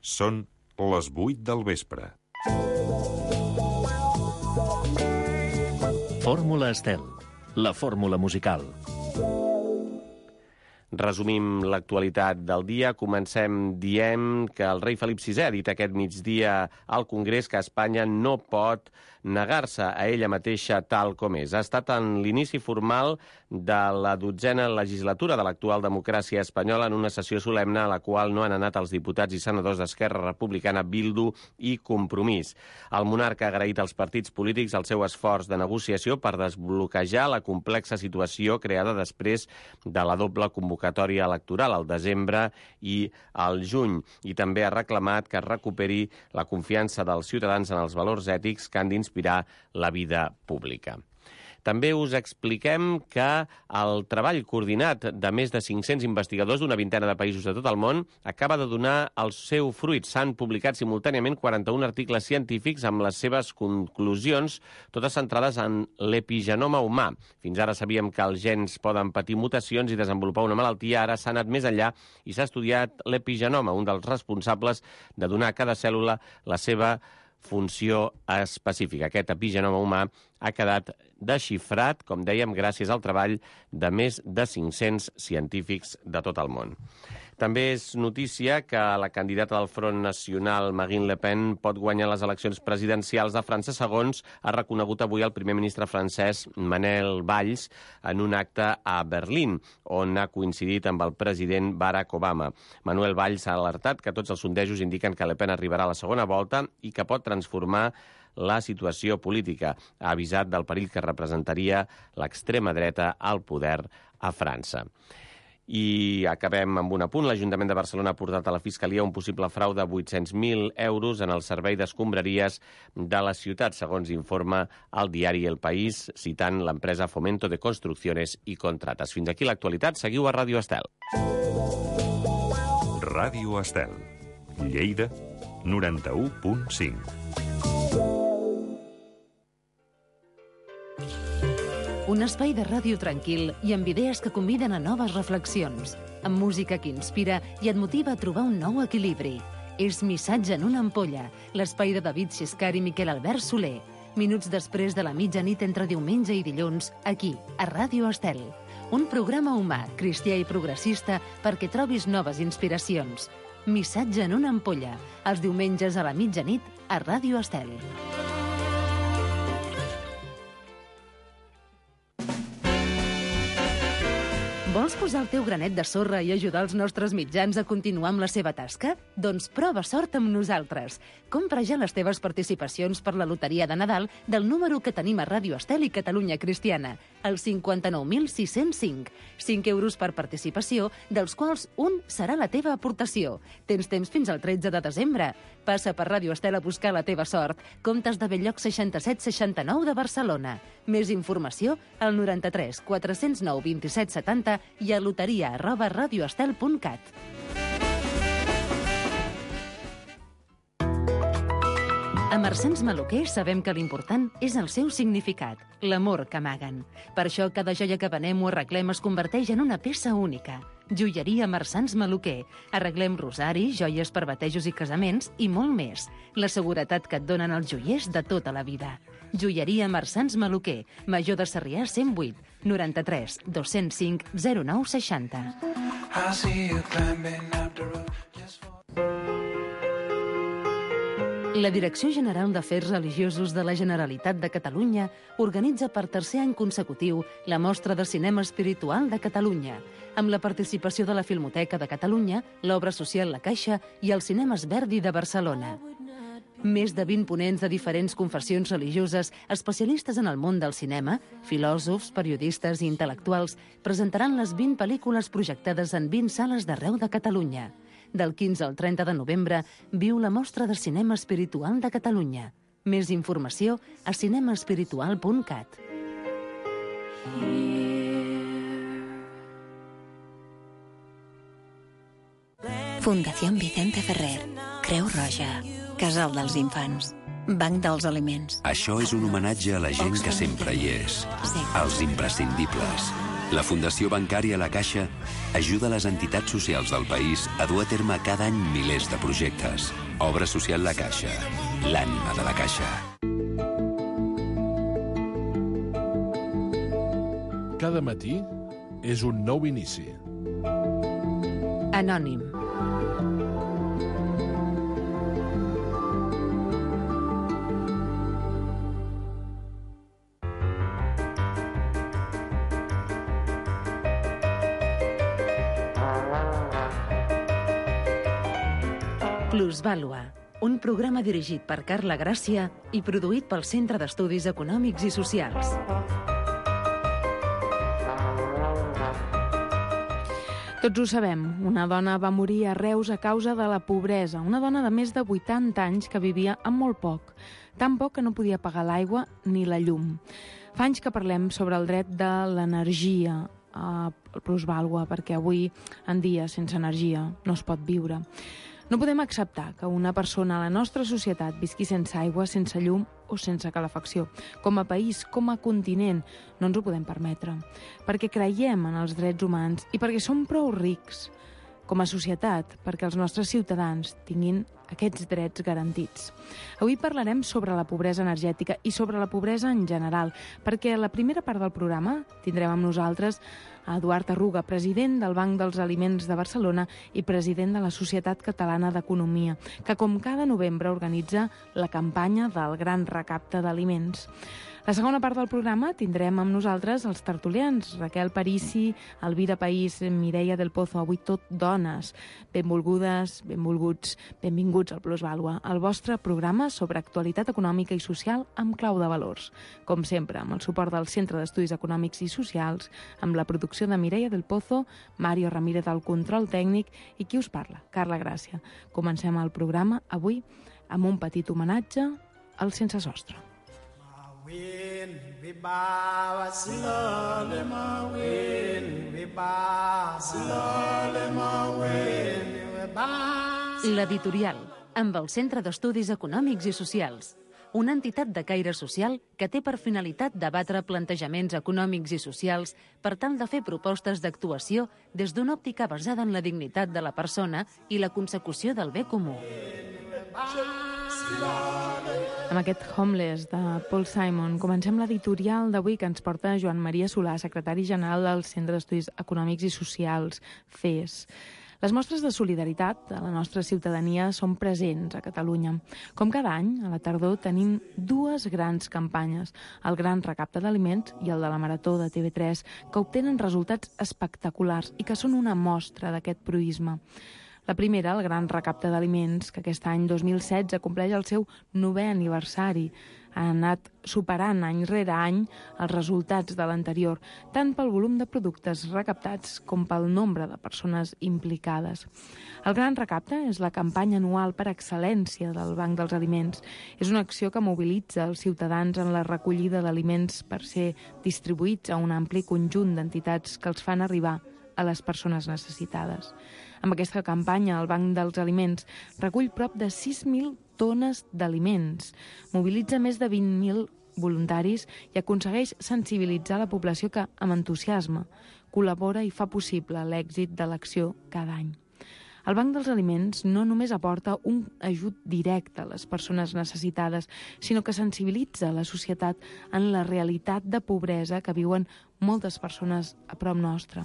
Són les 8 del vespre. Fórmula Estel, la fórmula musical. Resumim l'actualitat del dia. Comencem dient que el rei Felip VI ha dit aquest migdia al Congrés que Espanya no pot negar-se a ella mateixa tal com és. Ha estat en l'inici formal de la 12a legislatura de l'actual democràcia espanyola en una sessió solemne a la qual no han anat els diputats i senadors d'Esquerra Republicana, Bildu i Compromís. El monarca ha agraït als partits polítics el seu esforç de negociació per desbloquejar la complexa situació creada després de la doble convocatòria electoral al desembre i al juny. I també ha reclamat que es recuperi la confiança dels ciutadans en els valors ètics que han d'inspirar la vida pública. També us expliquem que el treball coordinat de més de 500 investigadors d'una vintena de països de tot el món acaba de donar el seu fruit. S'han publicat simultàniament 41 articles científics amb les seves conclusions, totes centrades en l'epigenoma humà. Fins ara sabíem que els gens poden patir mutacions i desenvolupar una malaltia. Ara s'ha anat més enllà i s'ha estudiat l'epigenoma, un dels responsables de donar a cada cèl·lula la seva funció específica. Aquest epigenoma humà ha quedat desxifrat, com dèiem, gràcies al treball de més de 500 científics de tot el món. També és notícia que la candidata del Front Nacional, Marine Le Pen, pot guanyar les eleccions presidencials de França, segons ha reconegut avui el primer ministre francès Manuel Valls en un acte a Berlín, on ha coincidit amb el president Barack Obama. Manuel Valls ha alertat que tots els sondejos indiquen que Le Pen arribarà a la segona volta i que pot transformar la situació política. Ha avisat del perill que representaria l'extrema dreta al poder a França. I acabem amb un apunt. L'Ajuntament de Barcelona ha portat a la Fiscalia un possible frau de 800.000 euros en el servei d'escombraries de la ciutat, segons informa el diari El País, citant l'empresa Fomento de Construcciones y Contratas. Fins aquí l'actualitat. Seguiu a Ràdio Estel. Ràdio Estel, Lleida, 91.5. Un espai de ràdio tranquil i amb idees que conviden a noves reflexions, amb música que inspira i et motiva a trobar un nou equilibri. És Missatge en una ampolla, l'espai de David Xiscar i Miquel Albert Soler. Minuts després de la mitjanit entre diumenge i dilluns, aquí, a Ràdio Estel. Un programa humà, cristià i progressista perquè trobis noves inspiracions. Missatge en una ampolla, els diumenges a la mitjanit a Ràdio Estel. Vols posar el teu granet de sorra i ajudar els nostres mitjans a continuar amb la seva tasca? Doncs prova sort amb nosaltres. Compra ja les teves participacions per la loteria de Nadal del número que tenim a Ràdio Estel i Catalunya Cristiana, el 59.605. 5 euros per participació, dels quals un serà la teva aportació. Tens temps fins al 13 de desembre. Passa per Ràdio Estel a buscar la teva sort. Comptes de Belllloc 6769 de Barcelona. Més informació al 93 409 27 70 i a loteria@radioestel.cat. A Marsans Maluquer sabem que l'important és el seu significat, l'amor que amaguen. Per això cada joia que venem o arreglem es converteix en una peça única. Joieria Marsans Maluquer. Arreglem rosaris, joies per batejos i casaments i molt més. La seguretat que et donen els joiers de tota la vida. Joieria Marsans Maluquer, Major de Sarrià 108, 93 205 0960. La Direcció General d'Afers Religiosos de la Generalitat de Catalunya organitza per tercer any consecutiu la Mostra de Cinema Espiritual de Catalunya, amb la participació de la Filmoteca de Catalunya, l'Obra Social La Caixa i el Cinemes Verdi de Barcelona. Més de 20 ponents de diferents confessions religioses, especialistes en el món del cinema, filòsofs, periodistes i intel·lectuals, presentaran les 20 pel·lícules projectades en 20 sales d'arreu de Catalunya. Del 15 al 30 de novembre viu la Mostra de Cinema Espiritual de Catalunya. Més informació a cinemaespiritual.cat. Fundación Vicente Ferrer, Creu Roja, Casal dels Infants, Banc dels Aliments. Això és un homenatge a la gent que sempre hi és, als imprescindibles. La Fundació Bancària La Caixa ajuda les entitats socials del país a dur a terme cada any milers de projectes. Obra social La Caixa, l'ànima de la Caixa. Cada matí és un nou inici. Anònim. Plusvàlua, un programa dirigit per Carla Gràcia i produït pel Centre d'Estudis Econòmics i Socials. Tots ho sabem, una dona va morir a Reus a causa de la pobresa, una dona de més de 80 anys que vivia amb molt poc, tan poc que no podia pagar l'aigua ni la llum. Fa anys que parlem sobre el dret de l'energia a plusvàlua, perquè avui en dia sense energia no es pot viure. No podem acceptar que una persona a la nostra societat visqui sense aigua, sense llum o sense calefacció. Com a país, com a continent, no ens ho podem permetre. Perquè creiem en els drets humans i perquè som prou rics. Com a societat, perquè els nostres ciutadans tinguin aquests drets garantits. Avui parlarem sobre la pobresa energètica i sobre la pobresa en general, perquè a la primera part del programa tindrem amb nosaltres a Eduard Arruga, president del Banc dels Aliments de Barcelona i president de la Societat Catalana d'Economia, que com cada novembre organitza la campanya del Gran Recapte d'Aliments. La segona part del programa tindrem amb nosaltres els tertulians, Raquel Parisi, Elvira País, Mireia del Pozo, avui tot dones. Benvolgudes, benvolguts, benvinguts al Plusvàlua, el vostre programa sobre actualitat econòmica i social amb clau de valors. Com sempre, amb el suport del Centre d'Estudis Econòmics i Socials, amb la producció de Mireia del Pozo, Mario Ramírez al control tècnic i qui us parla, Carla Gràcia. Comencem el programa avui amb un petit homenatge al Sense Sostre. L'editorial, amb el Centre d'Estudis Econòmics i Socials, una entitat de caire social que té per finalitat debatre plantejaments econòmics i socials per tal de fer propostes d'actuació des d'una òptica basada en la dignitat de la persona i la consecució del bé comú. Amb aquest Homeless de Paul Simon comencem l'editorial d'avui que ens porta Joan Maria Solà, secretari general del Centre d'Estudis Econòmics i Socials, CES. Les mostres de solidaritat de la nostra ciutadania són presents a Catalunya. Com cada any, a la tardor tenim dues grans campanyes, el Gran Recapte d'Aliments i el de la Marató de TV3, que obtenen resultats espectaculars i que són una mostra d'aquest proïsme. La primera, el Gran Recapte d'Aliments, que aquest any 2016 compleix el seu 9è aniversari. Ha anat superant any rere any els resultats de l'anterior, tant pel volum de productes recaptats com pel nombre de persones implicades. El Gran Recapte és la campanya anual per excel·lència del Banc dels Aliments. És una acció que mobilitza els ciutadans en la recollida d'aliments per ser distribuïts a un ampli conjunt d'entitats que els fan arribar a les persones necessitades. Amb aquesta campanya, el Banc dels Aliments recull prop de 6.000 tones d'aliments, mobilitza més de 20.000 voluntaris i aconsegueix sensibilitzar la població que, amb entusiasme, col·labora i fa possible l'èxit de l'acció cada any. El Banc dels Aliments no només aporta un ajut directe a les persones necessitades, sinó que sensibilitza la societat en la realitat de pobresa que viuen moltes persones a prop nostre.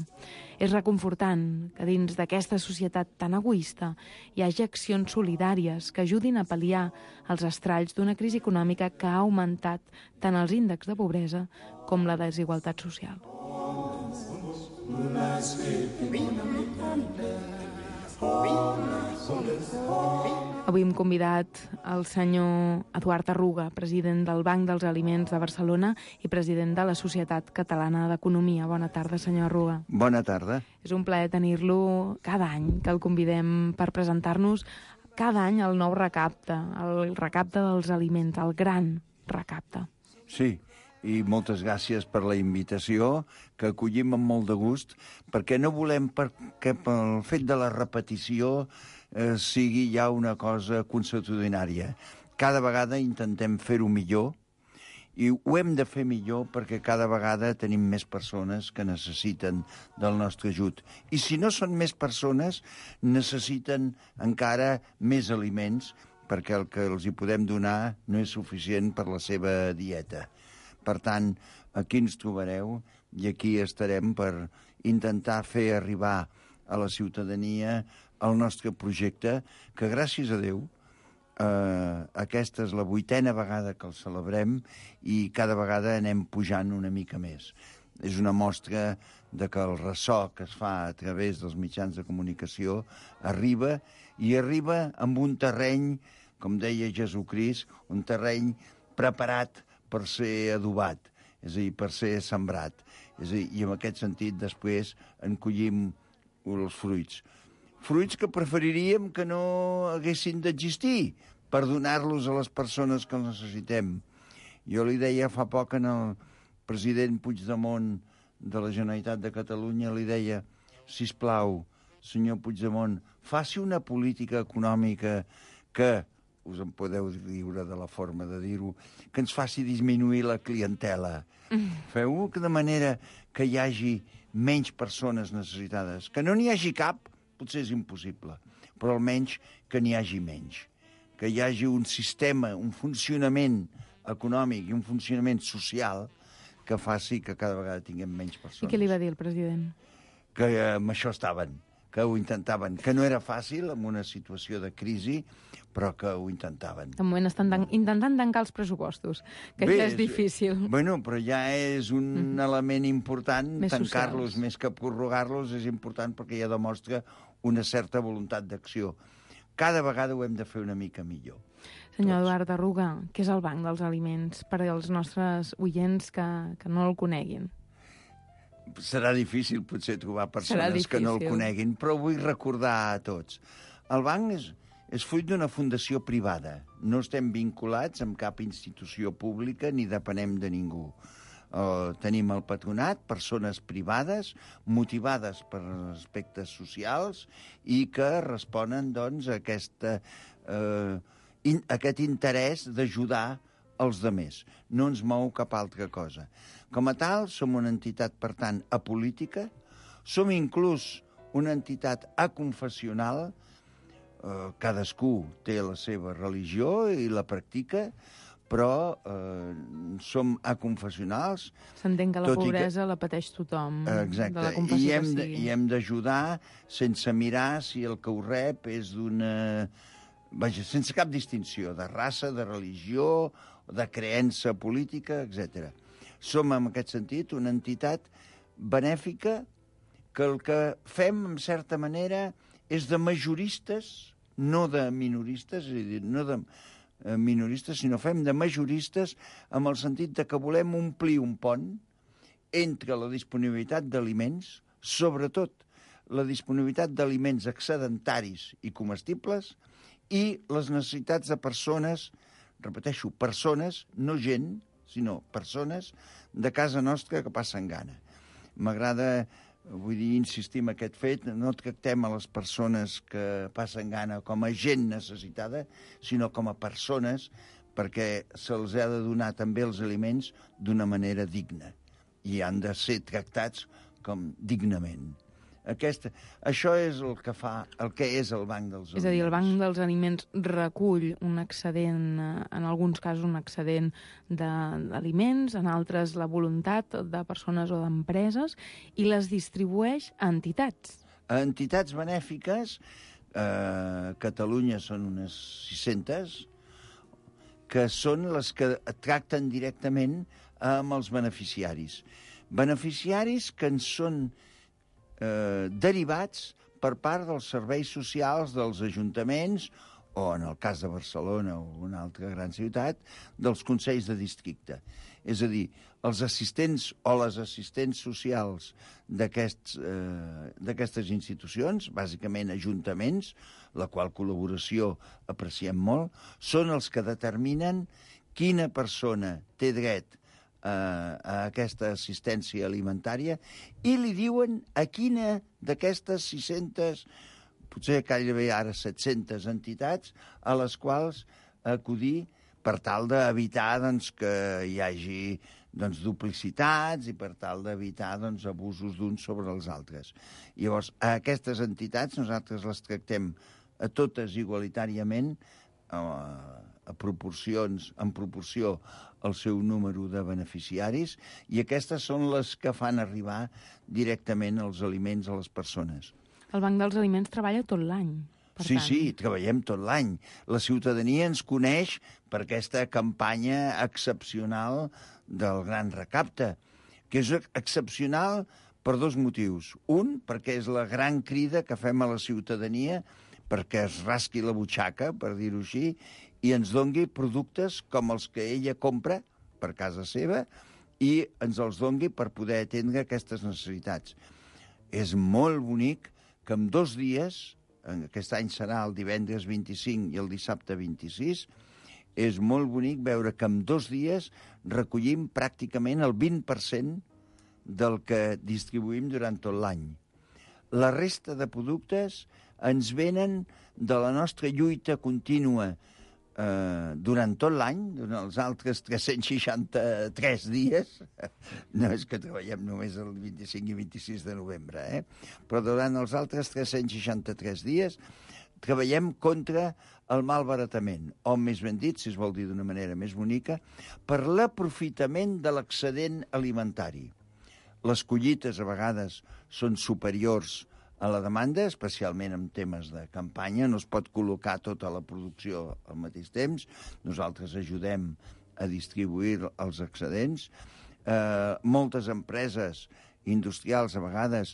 És reconfortant que dins d'aquesta societat tan egoista hi hagi accions solidàries que ajudin a pal·liar els estralls d'una crisi econòmica que ha augmentat tant els índexs de pobresa com la desigualtat social. Avui hem convidat el senyor Eduard Arruga, president del Banc dels Aliments de Barcelona i president de la Societat Catalana d'Economia. Bona tarda, senyor Arruga. Bona tarda. És un plaer tenir-lo cada any, que el convidem per presentar-nos cada any el nou recapte, el recapte dels aliments, el gran recapte. Sí, i moltes gràcies per la invitació, que acollim amb molt de gust, perquè no volem que pel fet de la repetició sigui ja una cosa consuetudinària. Cada vegada intentem fer-ho millor I ho hem de fer millor perquè cada vegada tenim més persones que necessiten del nostre ajut. I si no són més persones, necessiten encara més aliments perquè el que els hi podem donar no és suficient per la seva dieta. Per tant, aquí ens trobareu i aquí estarem per intentar fer arribar a la ciutadania el nostre projecte, que gràcies a Déu aquesta és la 8a vegada que el celebrem i cada vegada anem pujant una mica més. És una mostra de que el ressò que es fa a través dels mitjans de comunicació arriba amb un terreny, com deia Jesucrist, un terreny preparat per ser adobat, és a dir, per ser sembrat. És a dir, i en aquest sentit després en collim els fruits. Fruits que preferiríem que no haguessin d'existir per donar-los a les persones que els necessitem. Jo li deia fa poc al president Puigdemont de la Generalitat de Catalunya, li deia, sisplau, senyor Puigdemont, faci una política econòmica que, us en podeu viure de la forma de dir-ho, que ens faci disminuir la clientela. Feu-ho de manera que hi hagi menys persones necessitades. Que no n'hi hagi cap, potser és impossible, però almenys que n'hi hagi menys. Que hi hagi un sistema, un funcionament econòmic i un funcionament social que faci que cada vegada tinguem menys persones. I què li va dir el president? Que amb això estaven, que ho intentaven, que no era fàcil en una situació de crisi, però que ho intentaven. De moment estan intentant tancar els pressupostos, que ja és difícil. Bueno, però ja és un element important, tancar-los més que prorrogar-los és important perquè ja demostra una certa voluntat d'acció. Cada vegada ho hem de fer una mica millor. Senyor Eduard Arruga, què és el Banc dels Aliments per als nostres oients que no el coneguin? Serà difícil potser trobar persones que no el coneguin, però vull recordar a tots. El banc és fruit d'una fundació privada. No estem vinculats amb cap institució pública ni depenem de ningú. Tenim el patronat, persones privades, motivades per aspectes socials i que responen doncs, a aquest interès d'ajudar els demés. No ens mou cap altra cosa. Com a tal, som una entitat, per tant, apolítica, som inclús una entitat aconfessional, cadascú té la seva religió i la practica, però som aconfessionals. S'entén que la pobresa la pateix tothom. Exacte, de la confessió que sigui. I hem d'ajudar sense mirar si el que ho rep és d'una... Vaja, sense cap distinció de raça, de religió, de creença política, etc. Som, en aquest sentit, una entitat benèfica que el que fem, en certa manera, és de majoristes, no de minoristes, és a dir, no de minoristes, sinó fem de majoristes amb el sentit de que volem omplir un pont entre la disponibilitat d'aliments, sobretot la disponibilitat d'aliments excedentaris i comestibles, i les necessitats de persones, repeteixo, persones, no gent, sinó persones de casa nostra que passen gana. M'agrada, vull dir, insistir en aquest fet, no tractem a les persones que passen gana com a gent necessitada, sinó com a persones, perquè se'ls ha de donar també els aliments d'una manera digna i han de ser tractats com dignament. Això és el que fa, el que és el Banc dels Aliments. És a dir, el Banc dels Aliments recull un excedent, en alguns casos un excedent d'aliments, en altres la voluntat de persones o d'empreses, i les distribueix a entitats. A entitats benèfiques, a Catalunya són unes 600, que són les que tracten directament amb els beneficiaris. Beneficiaris que en són derivats per part dels serveis socials dels ajuntaments o, en el cas de Barcelona o una altra gran ciutat, dels consells de districte. És a dir, els assistents o les assistents socials d'aquestes institucions, bàsicament ajuntaments, la qual col·laboració apreciem molt, són els que determinen quina persona té dret a aquesta assistència alimentària i li diuen a quina d'aquestes 600, potser gairebé ara 700 entitats a les quals acudir per tal d'evitar que hi hagi duplicitats i per tal d'evitar abusos d'uns sobre els altres. Llavors, a aquestes entitats nosaltres les tractem a totes igualitàriament, en proporció al seu número de beneficiaris, i aquestes són les que fan arribar directament els aliments a les persones. El Banc dels Aliments treballa tot l'any. Sí, treballem tot l'any. La ciutadania ens coneix per aquesta campanya excepcional del Gran Recapte, que és excepcional per dos motius. Un, perquè és la gran crida que fem a la ciutadania perquè es rasqui la butxaca, per dir-ho així, i ens dongui productes com els que ella compra per casa seva i ens els dongui per poder atendre aquestes necessitats. És molt bonic que en 2 dies, aquest any serà el divendres 25 i el dissabte 26, és molt bonic veure que en 2 dies recollim pràcticament el 20% del que distribuïm durant tot l'any. La resta de productes ens venen de la nostra lluita contínua durant tot l'any, durant els altres 363 dies, no és que treballem només el 25 i 26 de novembre, però durant els altres 363 dies treballem contra el malbaratament, o més ben dit, si es vol dir d'una manera més bonica, per l'aprofitament de l'excedent alimentari. Les collites a vegades són superiors a la demanda, especialment en temes de campanya. No es pot col·locar tota la producció al mateix temps. Nosaltres ajudem a distribuir els excedents. Moltes empreses industrials a vegades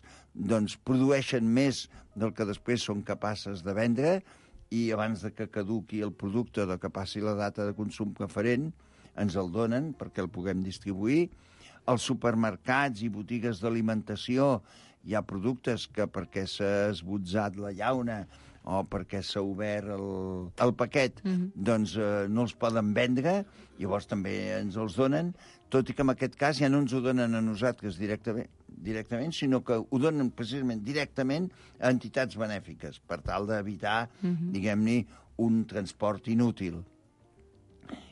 produeixen més del que després són capaces de vendre i abans de que caduqui el producte o que passi la data de consum preferent ens el donen perquè el puguem distribuir. Als supermercats i botigues d'alimentació hi ha productes que perquè s'ha esbotzat la llauna o perquè s'ha obert el paquet, no els poden vendre, llavors també ens els donen, tot i que en aquest cas ja no ens ho donen a nosaltres directament, sinó que ho donen precisament directament a entitats benèfiques, per tal d'evitar, diguem-ne, un transport inútil.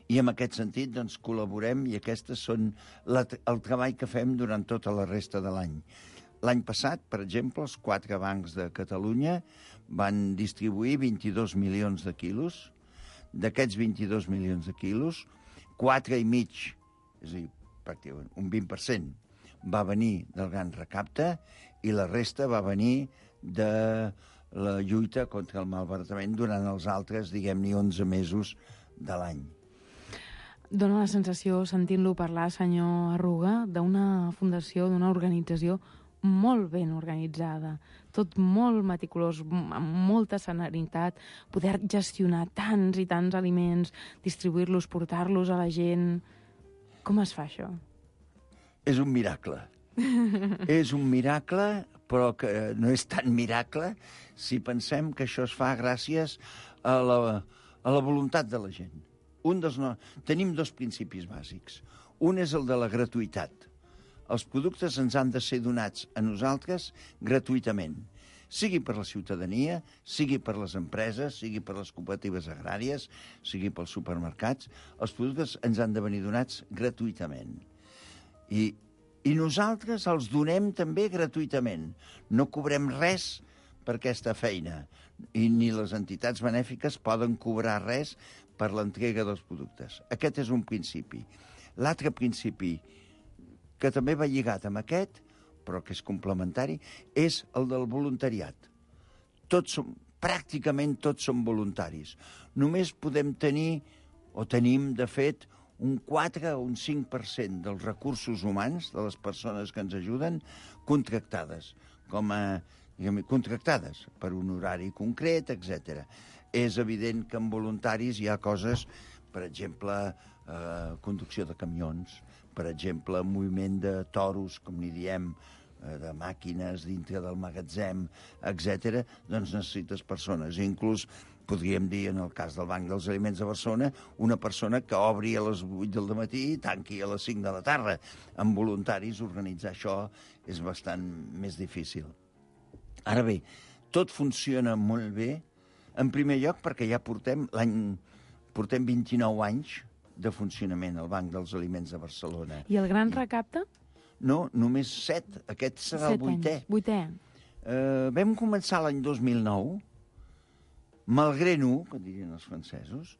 I en aquest sentit col·laborem i aquestes són el treball que fem durant tota la resta de l'any. L'any passat, per exemple, els 4 bancs de Catalunya van distribuir 22 milions de quilos. D'aquests 22 milions de quilos, 4,5, és a dir, pràcticament un 20%, va venir del Gran Recapte i la resta va venir de la lluita contra el malbaratament durant els altres, diguem-ne, 11 mesos de l'any. Dóna la sensació, sentint-lo parlar, senyor Arruga, d'una fundació, d'una organització molt ben organitzada, tot molt meticulós, amb molta serenitat, poder gestionar tants i tants aliments, distribuir-los, portar-los a la gent. Com es fa això? És un miracle. És un miracle, però que no és tan miracle si pensem que això es fa gràcies a la voluntat de la gent. Tenim 2 principis bàsics. Un és el de la gratuïtat. Els productes ens han de ser donats a nosaltres gratuïtament, sigui per la ciutadania, sigui per les empreses, sigui per les cooperatives agràries, sigui pels supermercats. Els productes ens han de venir donats gratuïtament. I nosaltres els donem també gratuïtament. No cobrem res per aquesta feina, i ni les entitats benèfiques poden cobrar res per l'entrega dels productes. Aquest és un principi. L'altre principi, que també va lligat amb aquest, però que és complementari, és el del voluntariat. Pràcticament tots som voluntaris. Només podem tenir, o tenim, de fet, un 4 o un 5% dels recursos humans, de les persones que ens ajuden, contractades, contractades per un horari concret, etc. És evident que en voluntaris hi ha coses, per exemple, conducció de camions, per exemple, moviment de toros, com n'hi diem, de màquines dintre del magatzem, etc., doncs necessites persones. Inclús podríem dir, en el cas del Banc dels Aliments de Barcelona, una persona que obri a les 8 del matí i tanqui a les 5 de la tarda. Amb voluntaris, organitzar això és bastant més difícil. Ara bé, tot funciona molt bé, en primer lloc perquè ja portem l'any Portem 29 anys de funcionament al Banc dels Aliments de Barcelona. I el gran recapte? No, només 7. Aquest serà el 8è. 8è. Vam començar l'any 2009, malgré nous, que dirien els francesos,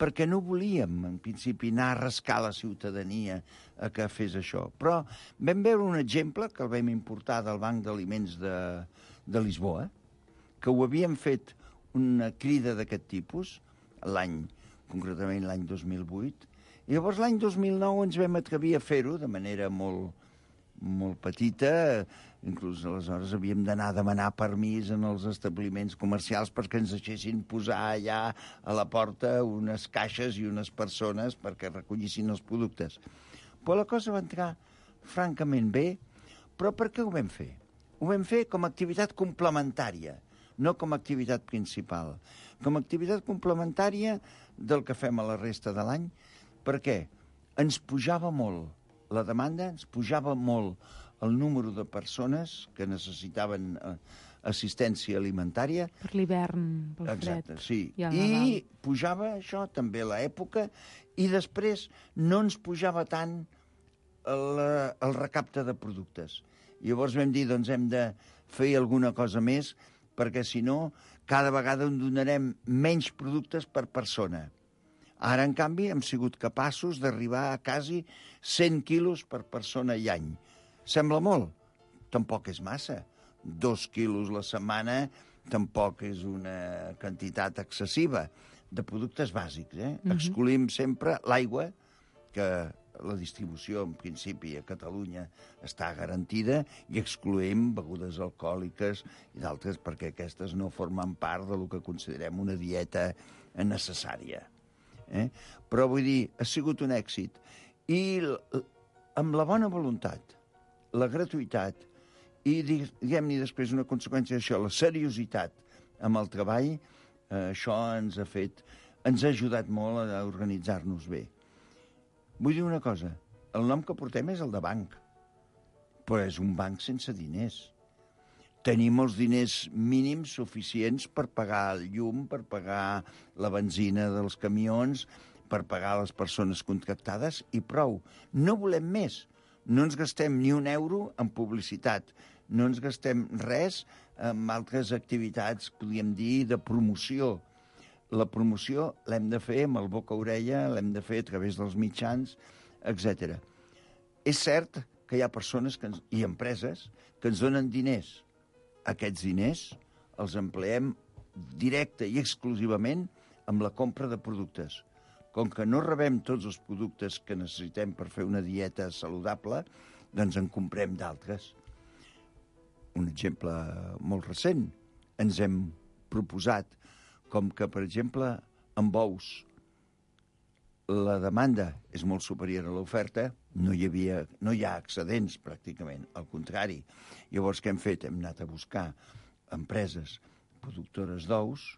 perquè no volíem, en principi, anar a rascar la ciutadania a que fes això. Però vam veure un exemple que el vam importar del Banc d'Aliments de Lisboa, que ho havien fet una crida d'aquest tipus, concretament l'any 2008, i llavors l'any 2009 ens vam atrevir a fer-ho de manera molt petita, inclús aleshores havíem d'anar a demanar permís en els establiments comercials perquè ens deixessin posar allà a la porta unes caixes i unes persones perquè recollissin els productes. Però la cosa va entrar francament bé, però per què ho vam fer? Ho vam fer com a activitat complementària, no com a activitat principal. Com a activitat complementària del que fem a la resta de l'any. Per què? Ens pujava molt la demanda, ens pujava molt el número de persones que necessitaven assistència alimentària. Per l'hivern, pel fred. Exacte, sí. I pujava això també a l'època, i després no ens pujava tant el recapte de productes. Llavors vam dir, doncs hem de fer alguna cosa més, perquè si no, cada vegada en donarem menys productes per persona. Ara, en canvi, hem sigut capaços d'arribar a quasi 100 quilos per persona i any. Sembla molt? Tampoc és massa. 2 quilos la setmana tampoc és una quantitat excessiva de productes bàsics. Excluïm sempre l'aigua, que la distribució, en principi, a Catalunya està garantida, i excloem begudes alcohòliques i d'altres perquè aquestes no formen part del que considerem una dieta necessària. Però vull dir, ha sigut un èxit. I amb la bona voluntat, la gratuïtat i, diguem-ne després, una conseqüència d'això, la seriositat amb el treball, això ens ha ajudat molt a organitzar-nos bé. Vull dir una cosa, el nom que portem és el de banc, però és un banc sense diners. Tenim els diners mínims suficients per pagar el llum, per pagar la benzina dels camions, per pagar les persones contractades, i prou. No volem més. No ens gastem ni un euro en publicitat. No ens gastem res en altres activitats, podríem dir, de promoció. La promoció l'hem de fer amb el boca-orella, l'hem de fer a través dels mitjans, etc. És cert que hi ha persones i empreses que ens donen diners. Aquests diners els empleem directe i exclusivament amb la compra de productes. Com que no rebem tots els productes que necessitem per fer una dieta saludable, doncs en comprem d'altres. Un exemple molt recent. Ens hem proposat com que, per exemple, amb ous la demanda és molt superior a l'oferta, no hi ha excedents, pràcticament, al contrari. Llavors, què hem fet? Hem anat a buscar empreses productores d'ous,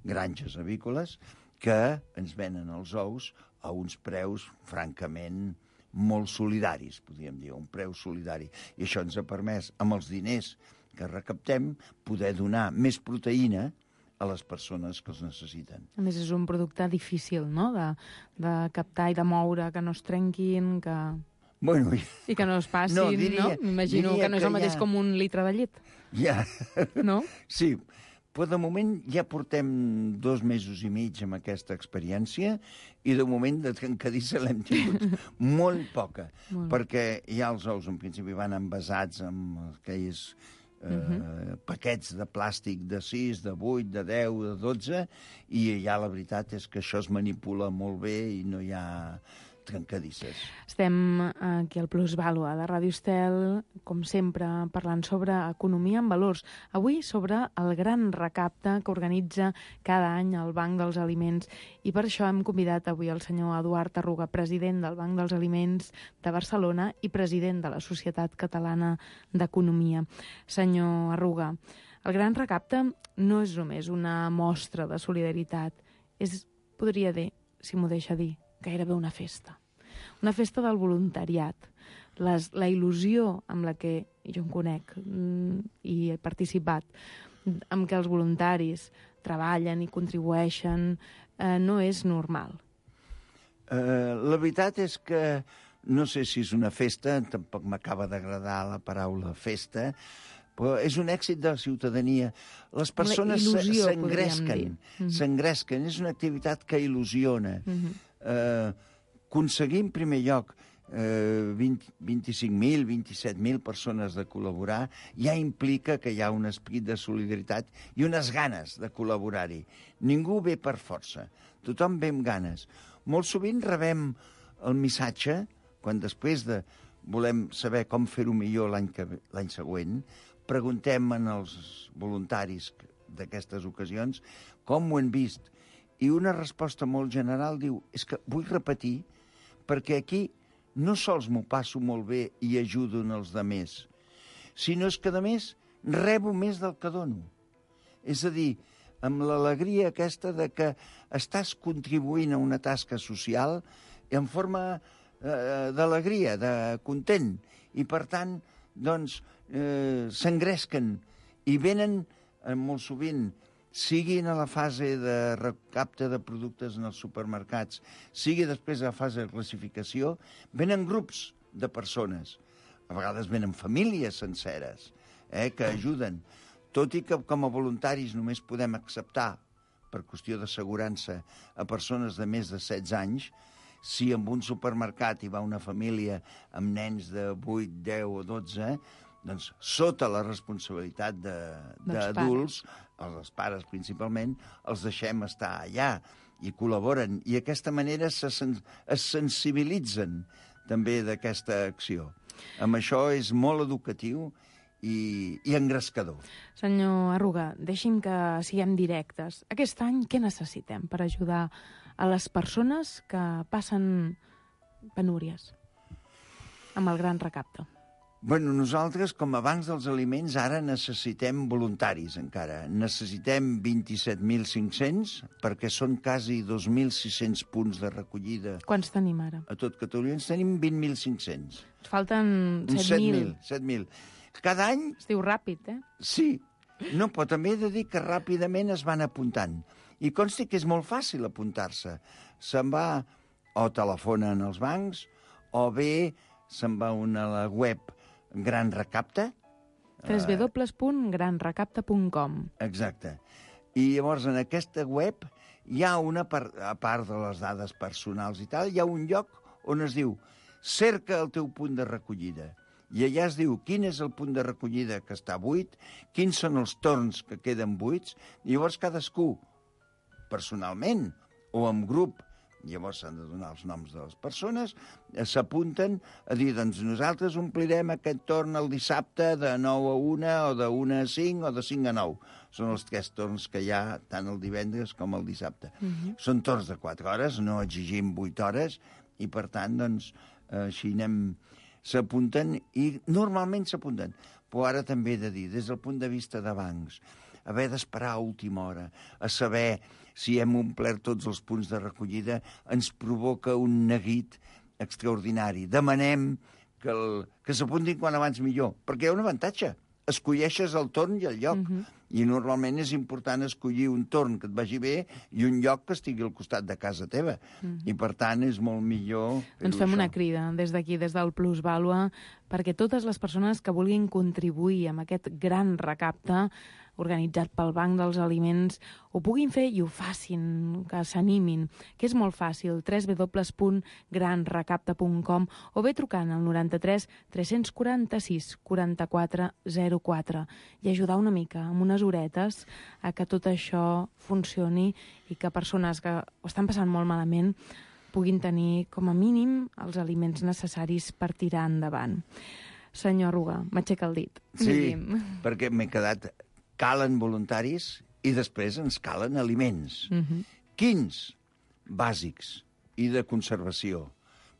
granges avícoles, que ens venen els ous a uns preus, francament, molt solidaris, podríem dir, un preu solidari. I això ens ha permès, amb els diners que recaptem, poder donar més proteïna a les persones que els necessiten. A més, és un producte difícil, no?, de captar i de moure, que no es trenquin, que... Bueno, i que no es passin, no? M'imagino que no és el mateix com un litre de llet. Ja. No? Sí, però de moment ja portem 2 mesos i mig amb aquesta experiència, i de moment de trencadissa l'hem tingut molt poca, perquè ja els ous en principi van envasats amb aquells paquets de plàstic de 6, de 8, de 10, de 12, i ja la veritat és que això es manipula molt bé i no hi ha trencadisses. Estem aquí al Plusvàlua de Ràdio Estel, com sempre, parlant sobre economia en valors. Avui sobre el gran recapte que organitza cada any el Banc dels Aliments, i per això hem convidat avui el senyor Eduard Arruga, president del Banc dels Aliments de Barcelona i president de la Societat Catalana d'Economia. Senyor Arruga, el gran recapte no és només una mostra de solidaritat, és, podria dir, si m'ho deixa dir, gairebé una festa. Una festa del voluntariat. La il·lusió amb la que jo em conec i he participat, amb què els voluntaris treballen i contribueixen, no és normal. La veritat és que no sé si és una festa, tampoc m'acaba d'agradar la paraula festa, però és un èxit de la ciutadania. Les persones s'engresquen, és una activitat que il·lusiona. Aconseguir, en primer lloc, 25.000, 27.000 persones de col·laborar ja implica que hi ha un esperit de solidaritat i unes ganes de col·laborar-hi. Ningú ve per força, tothom ve amb ganes. Molt sovint rebem el missatge, quan després de volem saber com fer-ho millor l'any següent, preguntem als voluntaris d'aquestes ocasions com ho han vist. I una resposta molt general diu, és que vull repetir, perquè aquí no sols m'ho passo molt bé i ajudo els altres, sinó és que, a més, rebo més del que dono. És a dir, amb l'alegria aquesta de que estàs contribuint a una tasca social en forma d'alegria, de content, i per tant, doncs, s'engresquen i venen molt sovint, siguin a la fase de recapte de productes en els supermercats, sigui després a la fase de classificació, venen grups de persones. A vegades venen famílies senceres que ajuden. Tot i que com a voluntaris només podem acceptar, per qüestió d'assegurança, a persones de més de 16 anys, si en un supermercat hi va una família amb nens de 8, 10 o 12, doncs sota la responsabilitat d'adults, els pares principalment, els deixem estar allà i col·laboren. I d'aquesta manera es sensibilitzen també d'aquesta acció. Amb això és molt educatiu i engrescador. Senyor Arruga, deixi'm que siguem directes. Aquest any què necessitem per ajudar a les persones que passen penúries amb el gran recapte? Bueno, nosaltres, com a bancs dels aliments, ara necessitem voluntaris encara. Necessitem 27.500, perquè són quasi 2.600 punts de recollida. Quants tenim ara? A tot Catalunya ens tenim 20.500. Falten 7.000. 7.000. Cada any... Es diu ràpid, eh? Sí. No, però també he de dir que ràpidament es van apuntant. I consti que és molt fàcil apuntar-se. Se'n va o telefonen als bancs, o bé se'n va a la web Gran Recapte. www.granrecapte.com. Exacte. I llavors en aquesta web hi ha a part de les dades personals i tal, hi ha un lloc on es diu cerca el teu punt de recollida. I allà es diu quin és el punt de recollida que està buit, quins són els torns que queden buits, i llavors cadascú, personalment o en grup, llavors s'han de donar els noms de les persones, s'apunten a dir, doncs nosaltres omplirem aquest torn el dissabte de 9 a 1 o de 1 a 5 o de 5 a 9. Són els 3 torns que hi ha tant el divendres com el dissabte. Són torns de 4 hores, no exigim 8 hores, i per tant, doncs, així s'apunten, i normalment s'apunten. Però ara també he de dir, des del punt de vista de bancs, haver d'esperar a última hora, a saber si hem omplert tots els punts de recollida, ens provoca un neguit extraordinari. Demanem que s'apuntin quan abans millor, perquè hi ha un avantatge. Escolleixes el torn i el lloc. I normalment és important escollir un torn que et vagi bé i un lloc que estigui al costat de casa teva. I, per tant, és molt millor fer-ho. Ens fem una crida des d'aquí, des del Plusvàlua, perquè totes les persones que vulguin contribuir amb aquest gran recapte organitzat pel Banc dels Aliments ho puguin fer i ho facin, que s'animin, que és molt fàcil, www.granrecapte.com, o bé trucant al 93 346 44 04 i ajudar una mica, amb unes horetes, a que tot això funcioni i que persones que ho estan passant molt malament puguin tenir, com a mínim, els aliments necessaris per tirar endavant. Senyor Arruga, m'aixeca el dit. Sí, perquè m'he quedat... Calen voluntaris i després ens calen aliments. Quins? Bàsics i de conservació,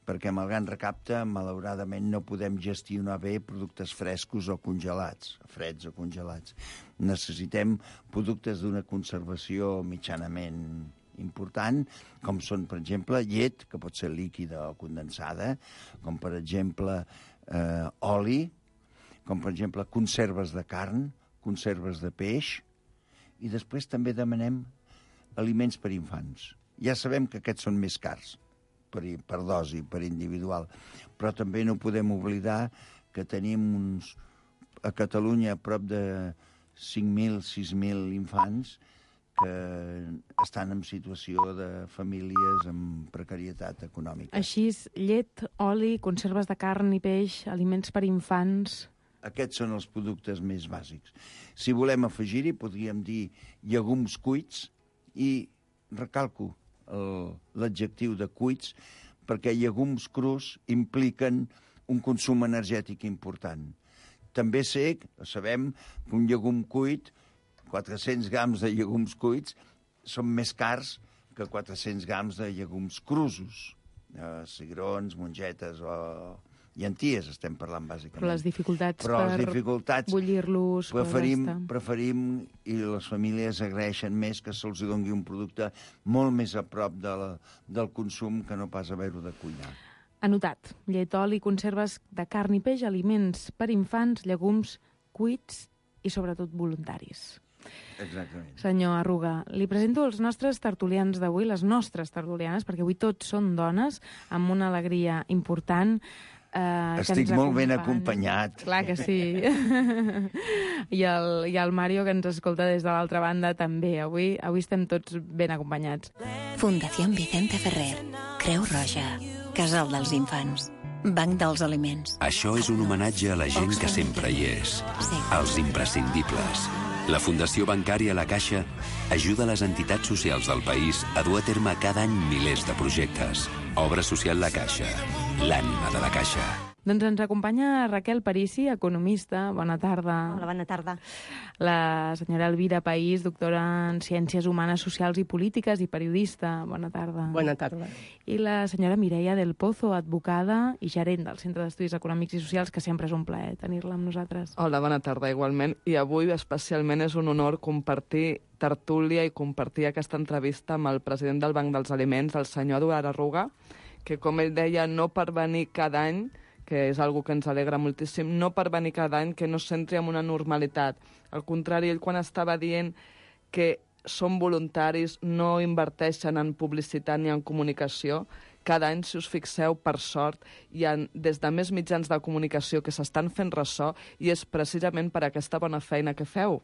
perquè amb el gran recapte, malauradament, no podem gestionar bé productes frescos o congelats, freds o congelats. Necessitem productes d'una conservació mitjanament important, com són, per exemple, llet, que pot ser líquida o condensada, com, per exemple, oli, com, per exemple, conserves de carn, conserves de peix, i després també demanem aliments per infants. Ja sabem que aquests són més cars per dosi, per individual, però també no podem oblidar que tenim a Catalunya prop de 5.000, 6.000 infants que estan en situació de famílies amb precarietat econòmica. Així, llet, oli, conserves de carn i peix, aliments per infants... Aquests són els productes més bàsics. Si volem afegir-hi, podríem dir llegums cuits, i recalco l'adjectiu de cuits, perquè llegums crus impliquen un consum energètic important. També sabem que un llegum cuit, 400 grams de llegums cuits, són més cars que 400 grams de llegums crusos. Cigrons, mongetes o llenties estem parlant, bàsicament. Però les dificultats bullir-los... Preferim, i les famílies agraeixen més, que se'ls doni un producte molt més a prop del consum que no pas haver-ho de cuinar. Anotat. Llet, oli, conserves de carn i peix, aliments per infants, llegums cuits i, sobretot, voluntaris. Exactament. Senyor Arruga, li presento els nostres tertulians d'avui, les nostres tertulianes, perquè avui tots són dones, amb una alegria important. Estic molt ben acompanyat. Clar que sí. I el Mario, que ens escolta des de l'altra banda, també. Avui estem tots ben acompanyats. Fundació Vicente Ferrer, Creu Roja, Casal dels Infants, Banc dels Aliments. Això és un homenatge a la gent que sempre hi és, als imprescindibles. La Fundació Bancària La Caixa ajuda les entitats socials del país a dur a terme cada any milers de projectes. Obra social La Caixa, l'ànima de la Caixa. Doncs ens acompanya Raquel Parisi, economista. Bona tarda. Hola, bona tarda. La senyora Elvira País, doctora en Ciències Humanes, Socials i Polítiques i periodista. Bona tarda. Bona tarda. I la senyora Mireia del Pozo, advocada i gerent del Centre d'Estudis Econòmics i Socials, que sempre és un plaer tenir-la amb nosaltres. Hola, bona tarda, igualment. I avui especialment és un honor compartir tertúlia i compartir aquesta entrevista amb el president del Banc dels Aliments, el senyor Eduard Arruga, que, com ell deia, no per venir cada any, que és algo que ens alegra moltíssim, no per venir cada any que no s'entri en una normalitat. Al contrari, ell quan estava dient que són voluntaris, no inverteixen en publicitat ni en comunicació, cada any, si us fixeu, per sort, hi ha des de més mitjans de comunicació que s'estan fent ressò, i és precisament per aquesta bona feina que feu,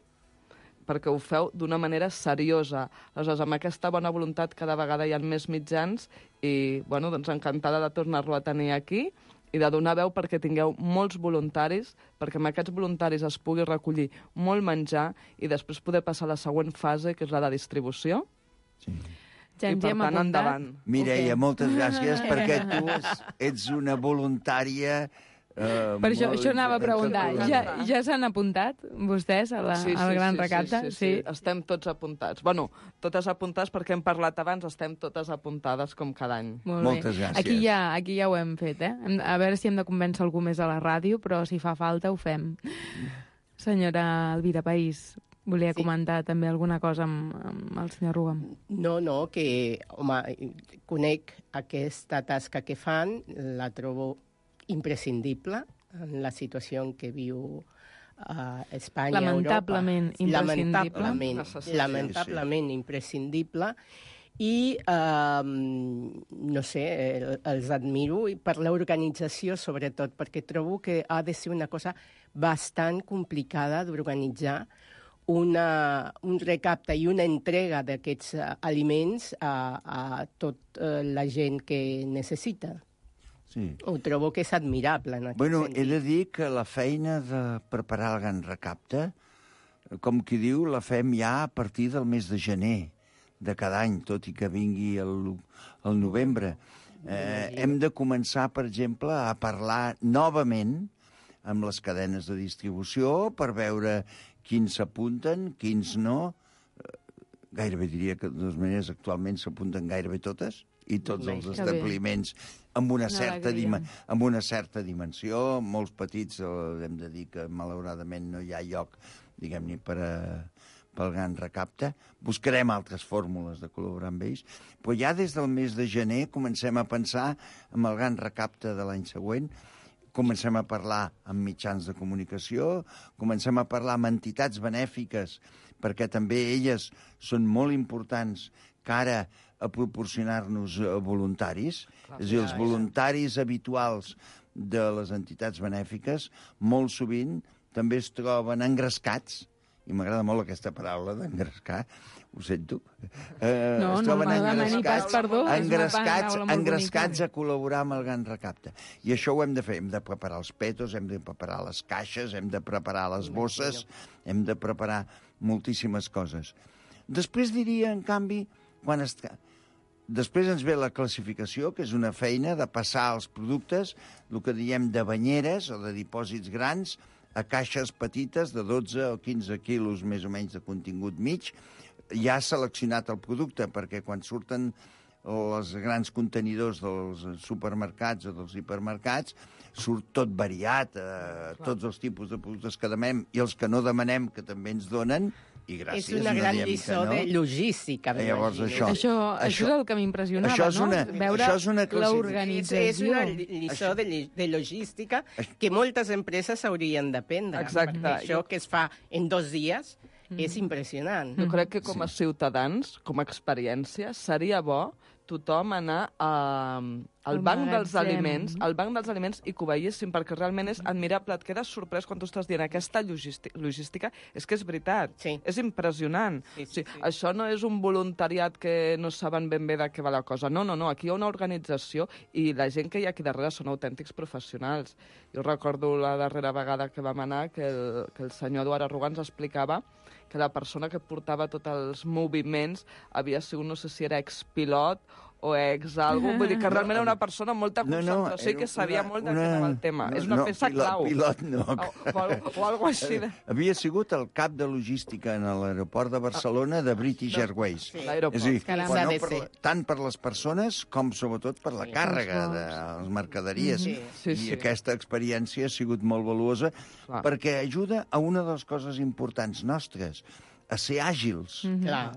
perquè ho feu d'una manera seriosa. Aleshores, amb aquesta bona voluntat cada vegada hi ha més mitjans i, bueno, doncs encantada de tornar-lo a tenir aquí i de donar veu perquè tingueu molts voluntaris, perquè amb aquests voluntaris es pugui recollir molt menjar i després poder passar a la següent fase, que és la de distribució. Sí. Ja I per tant, endavant. Mireia, moltes gràcies, perquè tu ets una voluntària... Per això anava a preguntar. Ja s'han apuntat vostès al Gran Recapte? Sí, estem tots apuntats. Bueno, totes apuntades perquè hem parlat abans, estem totes apuntades com cada any. Moltes gràcies. Aquí ja ho hem fet, eh? A veure si hem de convèncer algú més a la ràdio, però si fa falta ho fem. Senyora Elvira País, volia comentar també alguna cosa amb el senyor Arruga. No, que, home, conec aquesta tasca que fan, la trobo imprescindible en la situació en què viu Espanya, lamentablement Europa. Lamentablement sí. Imprescindible. I, no sé, els admiro per l'organització, sobretot, perquè trobo que ha de ser una cosa bastant complicada d'organitzar un recapte i una entrega d'aquests aliments a tota la gent que necessita. Sí. Ho trobo que és admirable. En aquest sentit. He de dir que la feina de preparar el Gran Recapte, com qui diu, la fem ja a partir del mes de gener de cada any, tot i que vingui el novembre. Hem de començar, per exemple, a parlar novament amb les cadenes de distribució per veure quins s'apunten, quins no. Gairebé diria que, de totes maneres, actualment s'apunten gairebé totes, i tots els establiments amb una certa dimensió, molts petits, hem de dir que malauradament no hi ha lloc, diguem-ne, pel Gran Recapte. Buscarem altres fórmules de col·laborar amb ells, però ja des del mes de gener comencem a pensar en el Gran Recapte de l'any següent, comencem a parlar amb mitjans de comunicació, comencem a parlar amb entitats benèfiques perquè també elles són molt importants cara a proporcionar-nos voluntaris. És a dir, els voluntaris habituals de les entitats benèfiques molt sovint també es troben engrescats, i m'agrada molt aquesta paraula d'engrescar, ho sento. No m'ha demanat pas perdó. Engrescats a col·laborar amb el Gran Recapte. I això ho hem de fer. Hem de preparar els petos, hem de preparar les caixes, hem de preparar les bosses, hem de preparar moltíssimes coses. Després diria, en canvi, després ens ve la classificació, que és una feina de passar els productes, el que diem de banyeres o de dipòsits grans, a caixes petites de 12 o 15 quilos més o menys de contingut mig. Ja ha seleccionat el producte, perquè quan surten els grans contenidors dels supermercats o dels hipermercats, surt tot variat, tots els tipus de productes que demanem i els que no demanem, que també ens donen, i gràcies. És una gran lliçó de logística. Llavors, això és el que m'impressionava, no? Veure l'organització. És una lliçó de logística que moltes empreses haurien d'aprendre. Exacte. Això que es fa en 2 dies és impressionant. Jo crec que com a ciutadans, com a experiència, seria bo tothom anar al banc dels aliments i que ho veiéssim, perquè realment és admirable. Et quedes sorprès quan tu estàs dient aquesta logística. És que és veritat. Sí. És impressionant. Això no és un voluntariat que no saben ben bé de què va la cosa. No. Aquí hi ha una organització i la gent que hi ha aquí darrere són autèntics professionals. Jo recordo la darrera vegada que vam anar que el senyor Eduard Arruga ens explicava que la persona que portava tots els moviments havia sigut, no sé si era expilot o algo, vull dir que realment era una persona amb molta concentració i que sabia molt de què anava el tema. És una peça clau. Pilot no. O algo així. Havia sigut el cap de logística en l'aeroport de Barcelona de British Airways. L'aeroport. És a dir, tant per les persones com sobretot per la càrrega de les mercaderies. I aquesta experiència ha sigut molt valuosa perquè ajuda a una de les coses importants nostres, a ser àgils.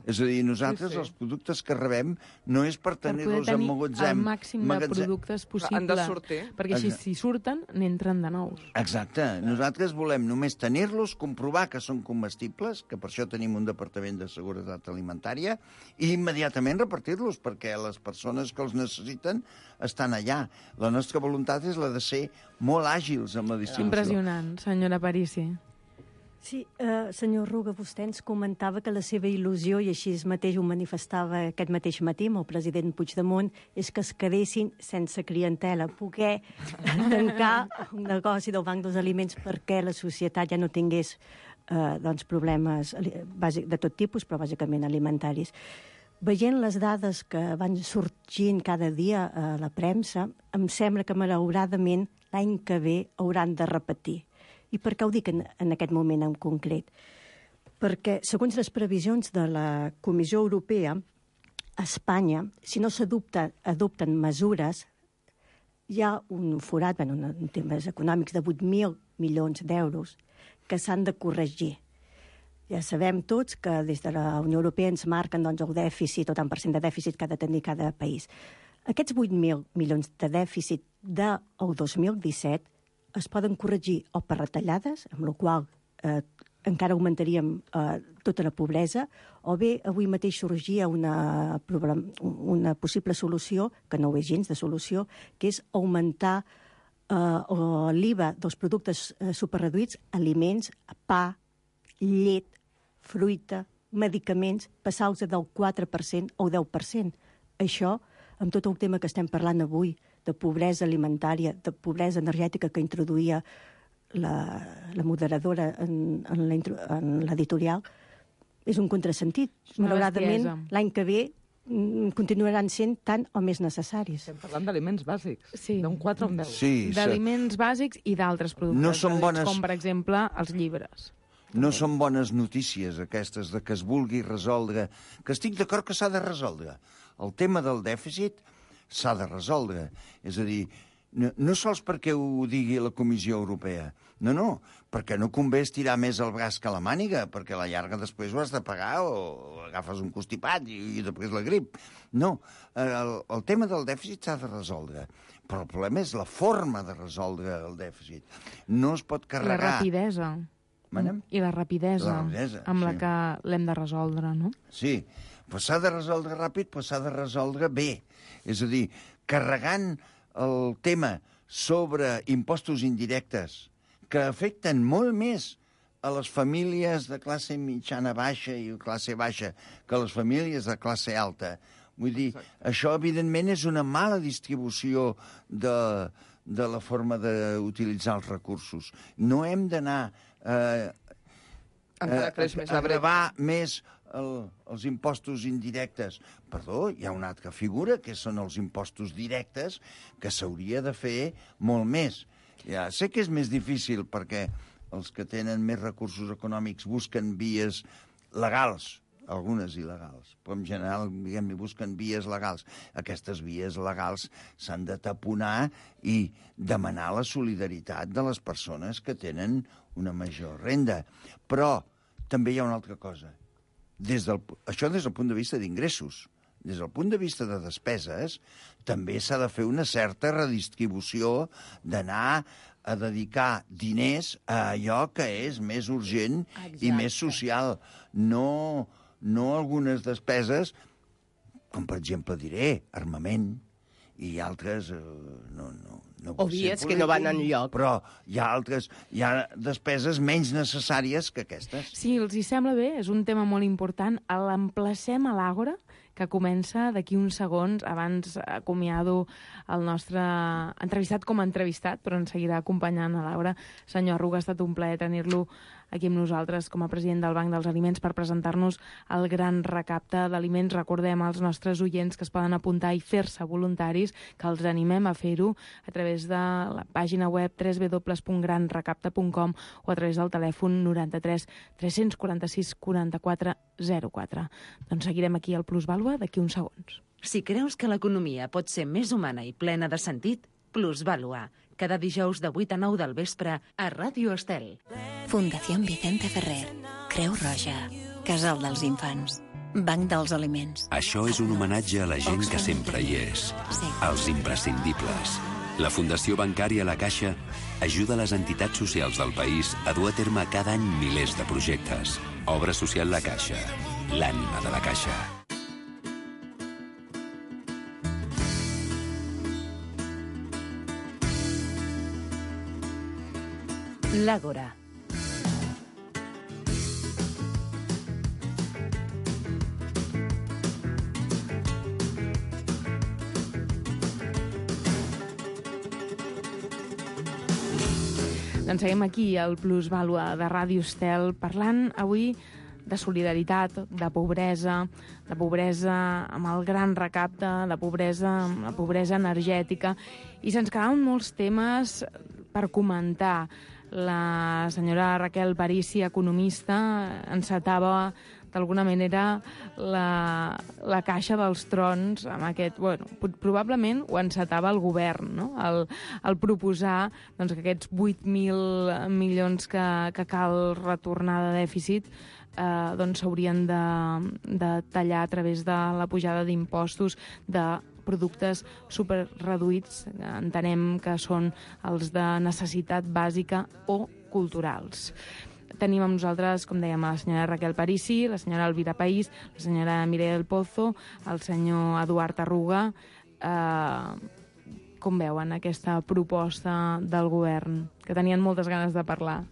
És a dir, nosaltres els productes que rebem no és per tenir-los en magatzem. El màxim de productes possible. Han de sortir. Perquè així, si surten, n'entren de nous. Exacte. Nosaltres volem només tenir-los, comprovar que són comestibles, que per això tenim un departament de seguretat alimentària, i immediatament repartir-los, perquè les persones que els necessiten estan allà. La nostra voluntat és la de ser molt àgils amb la distribució. Impressionant, senyora Parisi. Sí, senyor Ruga, vostè ens comentava que la seva il·lusió, i així mateix ho manifestava aquest mateix matí amb el president Puigdemont, és que es quedessin sense clientela, poder tancar un negoci del Banc dels Aliments perquè la societat ja no tingués problemes de tot tipus, però bàsicament alimentaris. Veient les dades que van sorgint cada dia a la premsa, em sembla que malauradament l'any que ve hauran de repetir. I per què ho dic en aquest moment en concret? Perquè, segons les previsions de la Comissió Europea, a Espanya, si no s'adopten mesures, hi ha un forat, en temes econòmics, de 8.000 milions d'euros que s'han de corregir. Ja sabem tots que des de la Unió Europea ens marquen el dèficit, o tant per cent de dèficit que ha de tenir cada país. Aquests 8.000 milions de dèficit del 2017 es poden corregir o per retallades, amb la qual encara augmentaríem tota la pobresa, o bé avui mateix sorgia una possible solució, que no ho és gens de solució, que és augmentar l'IVA dels productes superreduïts, aliments, pa, llet, fruita, medicaments, passar-los del 4% o 10%. Això, amb tot el tema que estem parlant avui, de pobresa alimentària, de pobresa energètica que introduïa la moderadora en l'editorial, és un contrasentit. Malauradament, l'any que ve continuaran sent tant o més necessaris. Estem parlant d'aliments bàsics, d'un 4 o un 10. Sí, d'aliments bàsics i d'altres productes, com per exemple els llibres. No són bones notícies aquestes de que es vulgui resoldre, que estic d'acord que s'ha de resoldre. El tema del dèficit s'ha de resoldre. És a dir, no sols perquè ho digui la Comissió Europea, no, perquè no convé estirar més el braç que la màniga, perquè a la llarga després ho has de pagar o agafes un constipat i després la grip. No, el tema del dèficit s'ha de resoldre, però el problema és la forma de resoldre el dèficit. No es pot carregar... La rapidesa. I la rapidesa amb la que l'hem de resoldre, no? Sí, però s'ha de resoldre ràpid, però s'ha de resoldre bé. És a dir, carregant el tema sobre impostos indirectes que afecten molt més a les famílies de classe mitjana-baixa i classe baixa que a les famílies de classe alta. Vull dir, això, evidentment, és una mala distribució de la forma d'utilitzar els recursos. No hem d'anar a gravar més els impostos indirectes. Perdó, hi ha una altra figura, que són els impostos directes, que s'hauria de fer molt més. Ja sé que és més difícil perquè els que tenen més recursos econòmics busquen vies legals, algunes il·legals, però en general diguem-ne busquen vies legals. Aquestes vies legals s'han de taponar i demanar la solidaritat de les persones que tenen una major renda. Però també hi ha una altra cosa. Això des del punt de vista d'ingressos. Des del punt de vista de despeses, també s'ha de fer una certa redistribució, d'anar a dedicar diners a allò que és més urgent i més social. No algunes despeses, com per exemple diré, armament, i altres o vies que no van enlloc. Però hi ha despeses menys necessàries que aquestes. Sí, els hi sembla bé, és un tema molt important. L'emplacem a l'Àgora, que comença d'aquí uns segons. Abans acomiado el nostre entrevistat com a entrevistat, però ens seguirà acompanyant a l'Àgora. Senyor Arruga, ha estat un plaer tenir-lo aquí amb nosaltres com a president del Banc dels Aliments per presentar-nos el gran recapte d'aliments. Recordem als nostres oients que es poden apuntar i fer-se voluntaris, que els animem a fer-ho a través de la pàgina web www.granrecapte.com o a través del telèfon 93 346 44 04. Doncs seguirem aquí al Plusvàlua d'aquí uns segons. Si creus que l'economia pot ser més humana i plena de sentit, Plusvàlua, cada dijous de 8 a 9 del vespre a Ràdio Estel. Fundació Vicente Ferrer, Creu Roja, Casal dels Infants, Banc dels Aliments. Això és un homenatge a la gent que sempre hi és, als imprescindibles. La Fundació Bancària La Caixa ajuda les entitats socials del país a dur a terme cada any milers de projectes. Obra social La Caixa, l'ànima de la Caixa. L'Àgora. Doncs seguim aquí al Plusvàlua de Ràdio Estel parlant avui de solidaritat, de pobresa amb el gran recapte, de pobresa amb la pobresa energètica, i se'ns quedaven molts temes per comentar. La senyora Raquel Parici, economista, encetava d'alguna manera la caixa dels trons amb aquest... Bueno, probablement ho encetava el govern, no? El proposar doncs, que aquests 8.000 milions que cal retornar de dèficit doncs s'haurien de tallar a través de la pujada d'impostos de productes superreduïts, entenem que són els de necessitat bàsica o culturals. Tenim amb nosaltres, com dèiem, la senyora Raquel Parici, la senyora Elvira País, la senyora Mireia del Pozo, el senyor Eduard Arruga. Com veuen aquesta proposta del govern? Que tenien moltes ganes de parlar.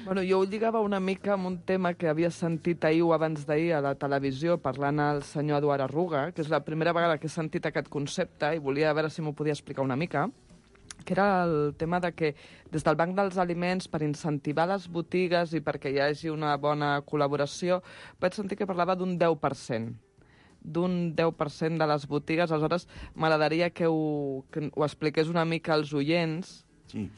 Bueno, jo ho lligava una mica amb un tema que havia sentit ahir o abans d'ahir a la televisió parlant al senyor Eduard Arruga, que és la primera vegada que he sentit aquest concepte i volia veure si m'ho podia explicar una mica, que era el tema de que des del Banc dels Aliments, per incentivar les botigues i perquè hi hagi una bona col·laboració, vaig sentir que parlava d'un 10%. D'un 10% de les botigues. Aleshores, m'agradaria que ho expliqués una mica als oients. Sí.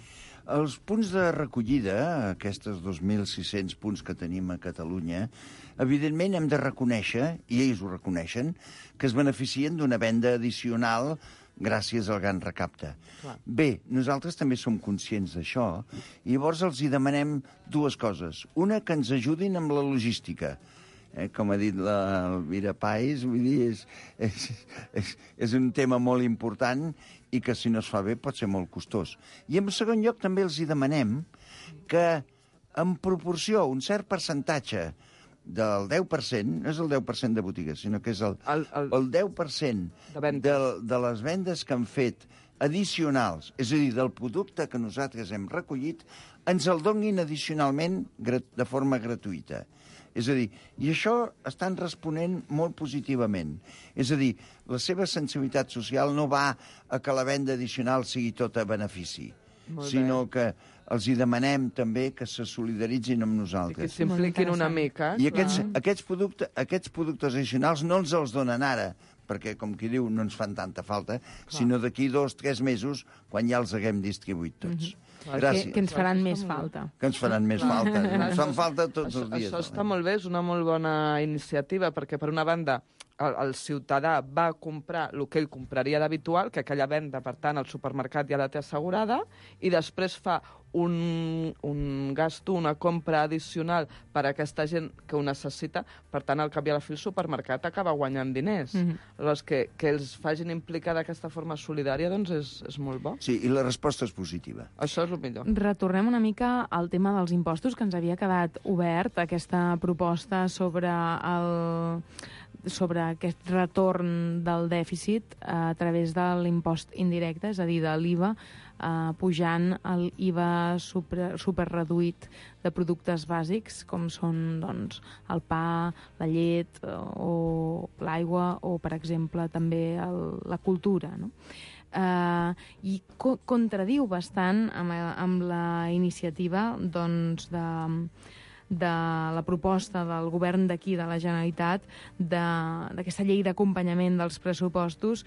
Els punts de recollida, aquests 2.600 punts que tenim a Catalunya, evidentment hem de reconèixer, i ells ho reconeixen, que es beneficien d'una venda addicional gràcies al gran recapte. Clar. Bé, nosaltres també som conscients d'això, i llavors els hi demanem dues coses. Una, que ens ajudin amb la logística. Com ha dit l'Elvira País, vull dir, és un tema molt important i que si no es fa bé pot ser molt costós. I en segon lloc també els hi demanem que en proporció, un cert percentatge del 10%, no és el 10% de botigues, sinó que és el 10% de les vendes que han fet addicionals, és a dir, del producte que nosaltres hem recollit, ens el donin addicionalment de forma gratuïta. És a dir, i això estan responent molt positivament. És a dir, la seva sensibilitat social no va a que la venda addicional sigui tot a benefici, sinó que els hi demanem també que se solidaritzin amb nosaltres. Que s'impliquin una mica. I aquests productes addicionals no ens els donen ara, perquè, com qui diu, no ens fan tanta falta, sinó d'aquí 2 o 3 mesos, quan ja els haguem distribuït tots. Gràcies. Que ens faran més falta. Que ens faran més falta. Ens fan falta tots els dies. Això està molt bé, és una molt bona iniciativa, perquè, per una banda, el ciutadà va comprar el que ell compraria d'habitual, que aquella venda, per tant, al supermercat ja la té assegurada, i després fa un gasto, una compra addicional per a aquesta gent que ho necessita. Per tant, al cap i a la fi, el supermercat acaba guanyant diners. Llavors, que els facin implicar d'aquesta forma solidària, doncs és molt bo. Sí, i la resposta és positiva. Això és el millor. Retornem una mica al tema dels impostos, que ens havia quedat obert, aquesta proposta sobre aquest retorn del dèficit a través de l'impost indirecte, és a dir, de l'IVA, pujant l'IVA superreduït de productes bàsics, com són doncs, el pa, la llet o l'aigua o, per exemple, també la cultura, no? I contradiu bastant amb la iniciativa doncs, de la proposta del govern d'aquí, de la Generalitat, d'aquesta llei d'acompanyament dels pressupostos,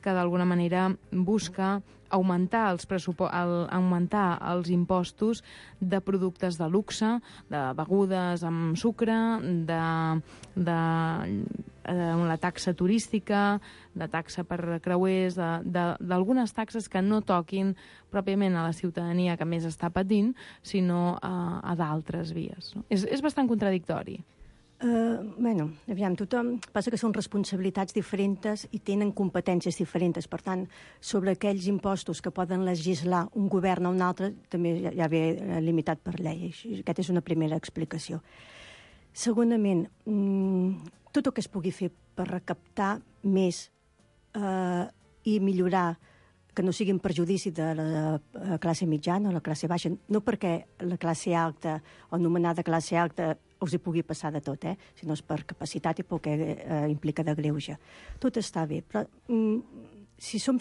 que d'alguna manera busca augmentar els impostos de productes de luxe, de begudes amb sucre, de la taxa turística, de taxa per creuers, d'algunes taxes que no toquin pròpiament a la ciutadania que més està patint, sinó a d'altres vies. És bastant contradictori. Aviam, tothom passa que són responsabilitats diferents i tenen competències diferents. Per tant, sobre aquells impostos que poden legislar un govern o un altre, també ja ve limitat per llei. Aquesta és una primera explicació. Segurament, tot el que es pugui fer per recaptar més i millorar que no sigui en perjudici de la classe mitjana o la classe baixa, no perquè la classe alta o anomenada classe alta us hi pugui passar de tot, sinó per capacitat i pel que implica de greuge. Tot està bé, però si som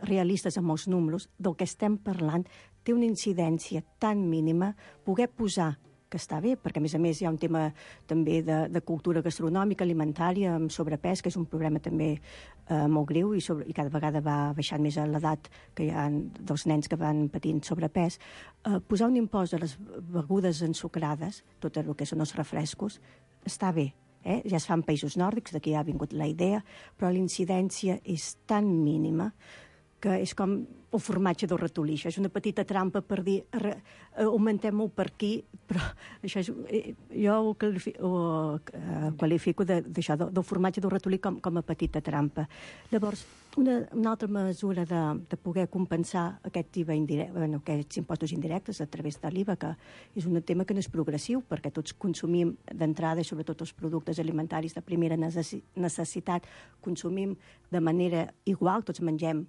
realistes amb els números, del que estem parlant té una incidència tan mínima poder posar que està bé, perquè a més hi ha un tema també de cultura gastronòmica, alimentària, amb sobrepès, que és un problema també molt greu i cada vegada va baixant més a l'edat que hi ha dels nens que van patint sobrepès. Posar un impost a les begudes ensucrades, tot el que són els refrescos, està bé. Ja es fa en països nòrdics, d'aquí ha vingut la idea, però la incidència és tan mínima que és com el formatge del ratolí. Això és una petita trampa per dir augmentem-ho per aquí, però això és, jo ho qualifico d'això, del formatge del ratolí com a petita trampa. Llavors, una altra mesura de poder compensar aquests impostos indirectes a través de l'IVA, que és un tema que no és progressiu, perquè tots consumim d'entrada, i sobretot els productes alimentaris de primera necessitat, consumim de manera igual, tots mengem.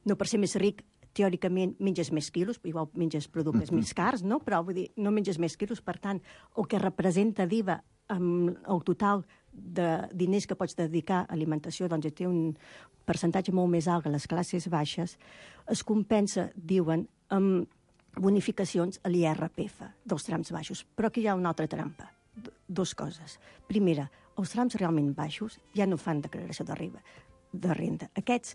No per ser més ric, teòricament, menges més quilos, igual menges productes més cars, no? Però vull dir, no menges més quilos, per tant, el que representa d'IVA amb el total de diners que pots dedicar a alimentació, doncs té un percentatge molt més alt que les classes baixes, es compensa, diuen, amb bonificacions a l'IRPF dels trams baixos. Però aquí hi ha una altra trampa. 2 coses. Primera, els trams realment baixos ja no fan declaració de renda. Aquests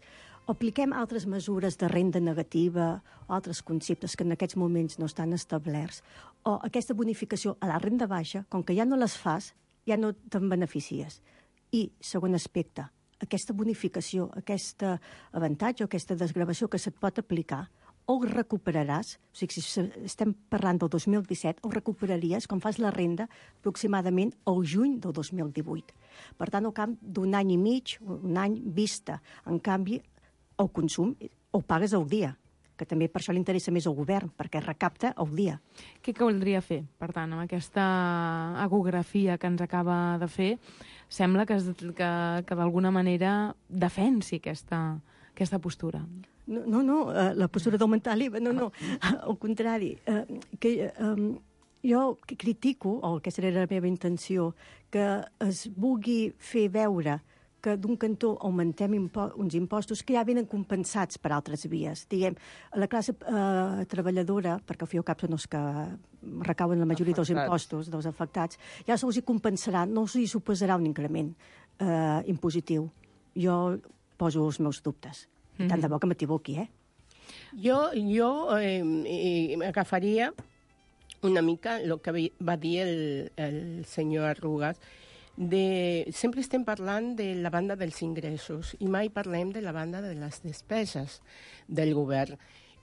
apliquem altres mesures de renda negativa o altres conceptes que en aquests moments no estan establerts, o aquesta bonificació a la renda baixa, com que ja no les fas, ja no te'n beneficies. I, segon aspecte, aquesta bonificació, aquest avantatge o aquesta desgravació que se't pot aplicar, o el recuperaràs, o sigui, si estem parlant del 2017, o recuperaries, com fas la renda, aproximadament al juny del 2018. Per tant, al cap d'un any i mig, un any vista. En canvi, el consum el pagues al dia. que també per això li interessa més al govern, perquè recapta el dia. Què caldria fer, per tant, amb aquesta ecografia que ens acaba de fer? Sembla que d'alguna manera defensi aquesta postura. No, la postura d'augmentar l'IVA, no, al contrari. Jo critico, o aquesta era la meva intenció, que es vulgui fer veure que d'un cantó augmentem uns impostos que ja venen compensats per altres vies. Diguem, la classe treballadora, perquè al fi i al cap són els que recauen la majoria dels impostos dels afectats, ja se'ls hi compensarà, no se'ls hi suposarà un increment impositiu. Jo poso els meus dubtes. I tant de bo que m'equivoqui, Jo agafaria una mica el que va dir el senyor Arrugas. Sempre estem parlant de la banda dels ingressos i mai parlem de la banda de les despeses del govern.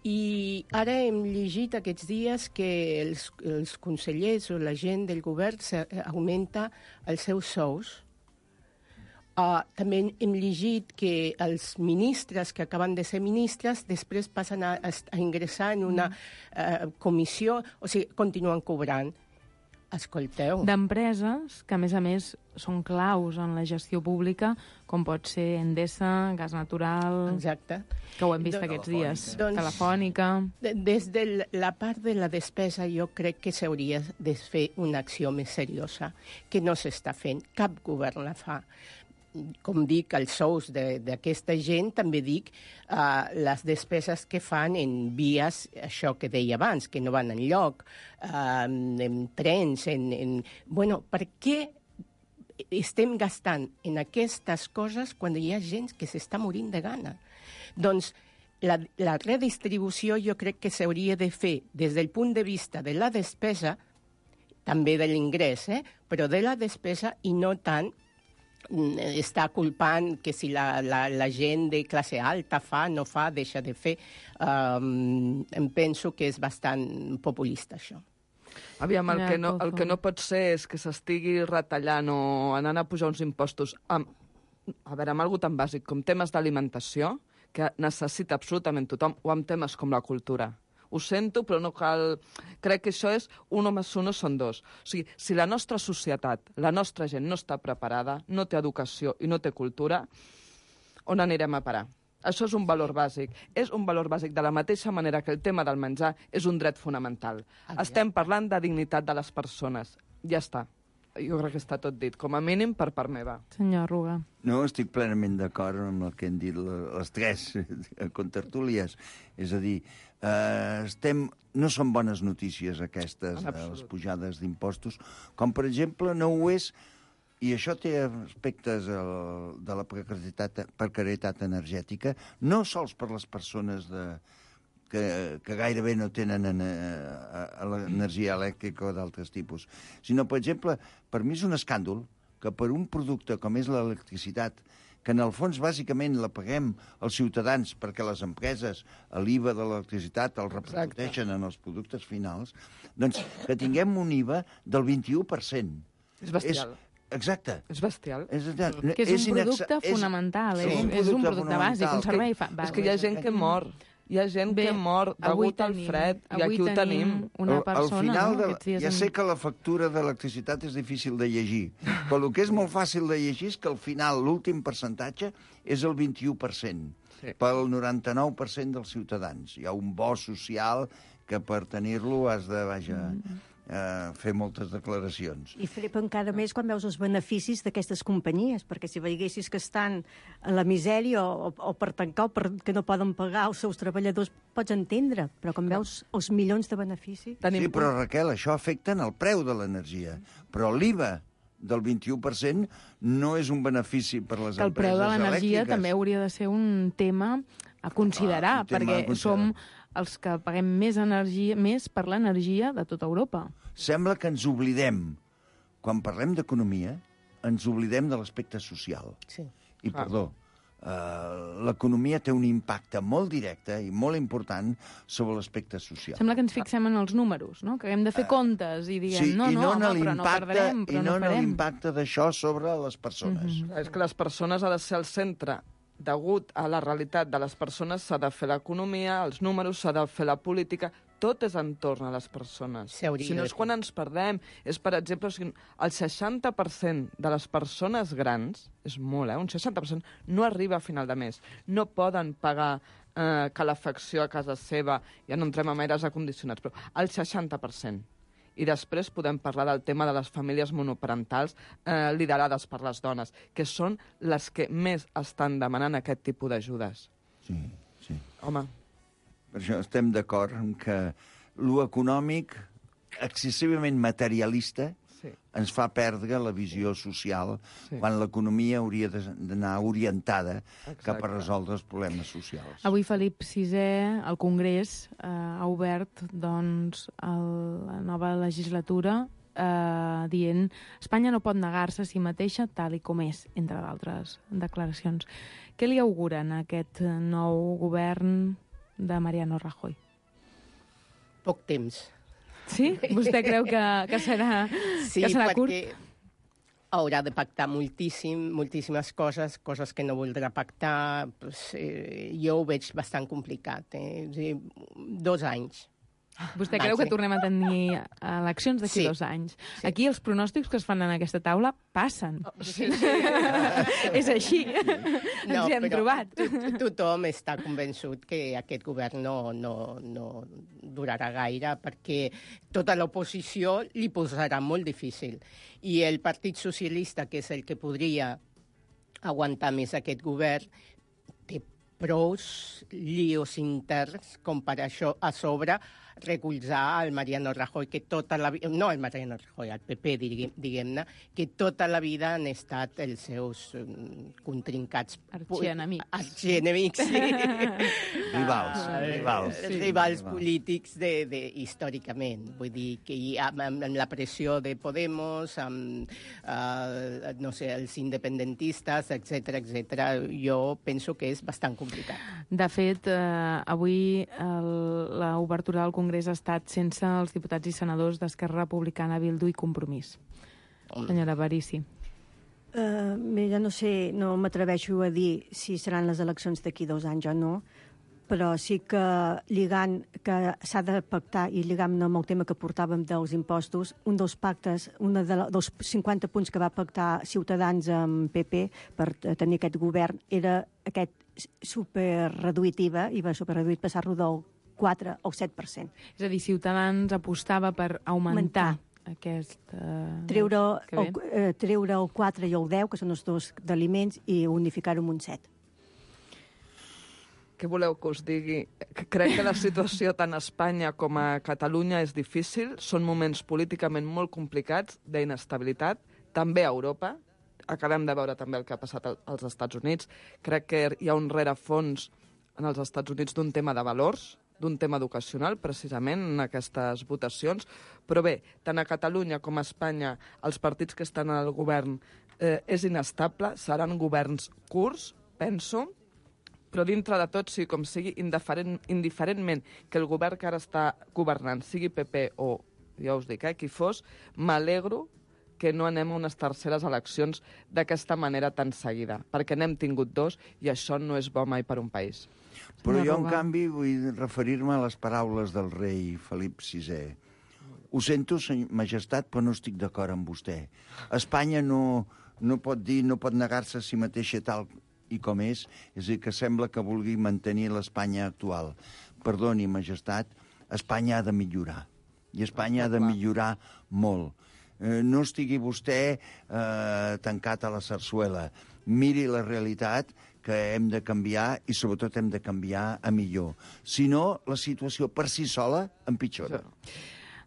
I ara hem llegit aquests dies que els consellers o la gent del govern augmenta els seus sous. També hem llegit que els ministres que acaben de ser ministres després passen a ingressar en una comissió, o sigui, continuen cobrant. Escolteu. D'empreses que, a més, són claus en la gestió pública, com pot ser Endesa, Gas Natural... Exacte. Que ho hem vist aquests dies. Telefònica... Des de la part de la despesa jo crec que s'hauria de fer una acció més seriosa, que no s'està fent. Cap govern la fa. Com dic, els sous d'aquesta gent, també dic les despeses que fan en vies, això que deia abans, que no van enlloc, en trens, Bueno, per què estem gastant en aquestes coses quan hi ha gent que s'està morint de gana? Doncs la redistribució jo crec que s'hauria de fer des del punt de vista de la despesa, també de l'ingrés, però de la despesa i no tant està culpant que si la gent de classe alta fa, no fa, deixa de fer. Em penso que és bastant populista, això. Aviam, el que no pot ser és que s'estigui retallant o anant a pujar uns impostos amb algo tan bàsic com temes d'alimentació, que necessita absolutament tothom, o amb temes com la cultura. Ho sento, però no cal... Crec que això és 1 més 1 són 2. O sigui, si la nostra societat, la nostra gent no està preparada, no té educació i no té cultura, on anirem a parar? Això és un valor bàsic. És un valor bàsic de la mateixa manera que el tema del menjar és un dret fonamental. Estem parlant de dignitat de les persones. Ja està. Jo crec que està tot dit, com a mínim per part meva. Senyor Arruga. No, estic plenament d'acord amb el que han dit les tres contertúlies. És a dir, no són bones notícies aquestes, les pujades d'impostos, com per exemple no ho és, i això té aspectes de la precarietat energètica, no sols per les persones que gairebé no tenen l'energia elèctrica o d'altres tipus, sinó, per exemple, per mi és un escàndol que per un producte com és l'electricitat, que en el fons bàsicament la paguem els ciutadans perquè les empreses l'IVA de l'electricitat el repercuteixen en els productes finals, doncs que tinguem un IVA del 21%. És bestial. Exacte. És bestial. Que és un producte fonamental, és un producte bàsic, un servei bàsic. És que hi ha gent que mor. Hi ha gent que mor degut al fred, i aquí ho tenim. Al final, ja sé que la factura d'electricitat és difícil de llegir, però el que és molt fàcil de llegir és que al final l'últim percentatge és el 21%, pel 99% dels ciutadans. Hi ha un bo social que per tenir-lo has de, fer moltes declaracions. I flipa encara més quan veus els beneficis d'aquestes companyies, perquè si veiessis que estan en la misèria o per tancar o perquè no poden pagar els seus treballadors, pots entendre, però quan veus els milions de beneficis... Sí, però Raquel, això afecta en el preu de l'energia, però l'IVA del 21% no és un benefici per les empreses elèctriques. El preu de l'energia també hauria de ser un tema a considerar, perquè som els que paguem més per l'energia de tota Europa. Sembla que ens oblidem, quan parlem d'economia, ens oblidem de l'aspecte social. Sí. I, perdó, l'economia té un impacte molt directe i molt important sobre l'aspecte social. Sembla que ens fixem en els números, no? Que hem de fer comptes i diguem, però no perdrem, però no farem. I no en l'impacte d'això sobre les persones. És que les persones ha de ser el centre degut a la realitat de les persones, s'ha de fer l'economia, els números, s'ha de fer la política, tot és entorn a les persones. Si no és quan ens perdem. És, per exemple, el 60% de les persones grans, és molt, un 60%, no arriba a final de mes. No poden pagar calefacció a casa seva, ja no entrem amb aires acondicionats, però el 60%. I després podem parlar del tema de les famílies monoparentals liderades per les dones, que són les que més estan demanant aquest tipus d'ajudes. Sí. Home. Per això estem d'acord que lo econòmic, excessivament materialista, ens fa perdre la visió social quan l'economia hauria d'anar orientada cap a resoldre els problemes socials. Avui Felip VI, al Congrés, ha obert doncs, la nova legislatura dient Espanya no pot negar-se a si mateixa tal i com és, entre d'altres declaracions. Què li auguren a aquest nou govern de Mariano Rajoy? Poc temps. Sí? Vostè creu que serà curt? Sí, perquè haurà de pactar moltíssimes coses que no voldrà pactar. Jo ho veig bastant complicat. 2 anys. Vostè creu que tornem a tenir eleccions d'aquí 2 anys? Sí. Aquí els pronòstics que es fan en aquesta taula passen. Sí. És així. Ens hi hem trobat. Tothom està convençut que aquest govern no durarà gaire perquè tota l'oposició li posarà molt difícil. I el Partit Socialista, que és el que podria aguantar més aquest govern, té prous líos interns com per això a sobre recolzar el Mariano Rajoy, que tota la vida... No el Mariano Rajoy, el PP, diguem-ne, que tota la vida han estat els seus contrincats... Arxienemics, sí. Rivals polítics històricament. Vull dir que amb la pressió de Podemos, amb els independentistes, etc., jo penso que és bastant complicat. De fet, avui l'obertura del Congrés ha estat sense els diputats i senadors d'Esquerra Republicana, Bildu i Compromís. Senyora Parisi. Ja no sé, no m'atreveixo a dir si seran les eleccions d'aquí 2 anys o no, però sí que lligant que s'ha de pactar i lligant amb el tema que portàvem dels impostos, un dels pactes, dels 50 punts que va pactar Ciutadans amb PP per tenir aquest govern era aquest superreduït IVA, IVA superreduït, passar-lo del 4 o 7%. És a dir, Ciutadans apostava per augmentar aquest... Treure el 4 i el 10, que són els dos d'aliments, i unificar-ho amb un 7. Què voleu que us digui? Crec que la situació tant a Espanya com a Catalunya és difícil. Són moments políticament molt complicats, d'inestabilitat, també a Europa. Acabem de veure també el que ha passat als Estats Units. Crec que hi ha un rerefons en els Estats Units d'un tema de valors, d'un tema educacional, precisament, en aquestes votacions. Però bé, tant a Catalunya com a Espanya, els partits que estan al govern és inestable, seran governs curts, penso, però dintre de tot, sigui com sigui, indiferentment que el govern que ara està governant sigui PP o, ja us dic, qui fos, m'alegro que no anem a unes terceres eleccions d'aquesta manera tan seguida, perquè n'hem tingut 2 i això no és bo mai per un país. Però jo, en canvi, vull referir-me a les paraules del rei Felip VI. Ho sento, majestat, però no estic d'acord amb vostè. Espanya no pot dir, no pot negar-se a si mateixa tal i com és a dir, que sembla que vulgui mantenir l'Espanya actual. Perdoni, majestat, Espanya ha de millorar. I Espanya ha de millorar molt. No estigui vostè tancat a la sarsuela. Miri la realitat, que hem de canviar i sobretot hem de canviar a millor. Si no, la situació per si sola empitjora.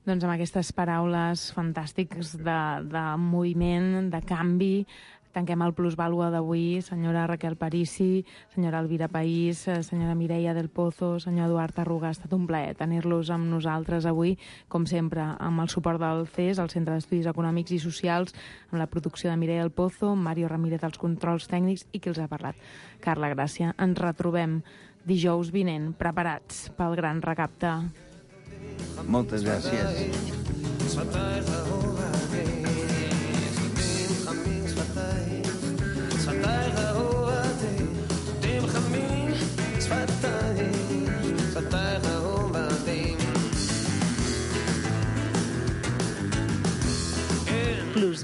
Doncs amb aquestes paraules fantàstiques de moviment, de canvi, tanquem el plusvàlua d'avui. Senyora Raquel Parisi, senyora Elvira País, senyora Mireia del Pozo, senyor Eduard Arruga, ha estat un plaer tenir-los amb nosaltres avui, com sempre, amb el suport del CES, el Centre d'Estudis Econòmics i Socials, amb la producció de Mireia del Pozo, Mario Ramírez als controls tècnics i qui els ha parlat, Carla Gràcia. Ens retrobem dijous vinent, preparats pel gran recapte. Moltes gràcies. Sa terre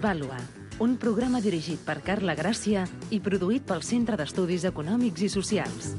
Vàlua, un programa dirigit per Carla Gràcia i produït pel Centre d'Estudis Econòmics i Socials.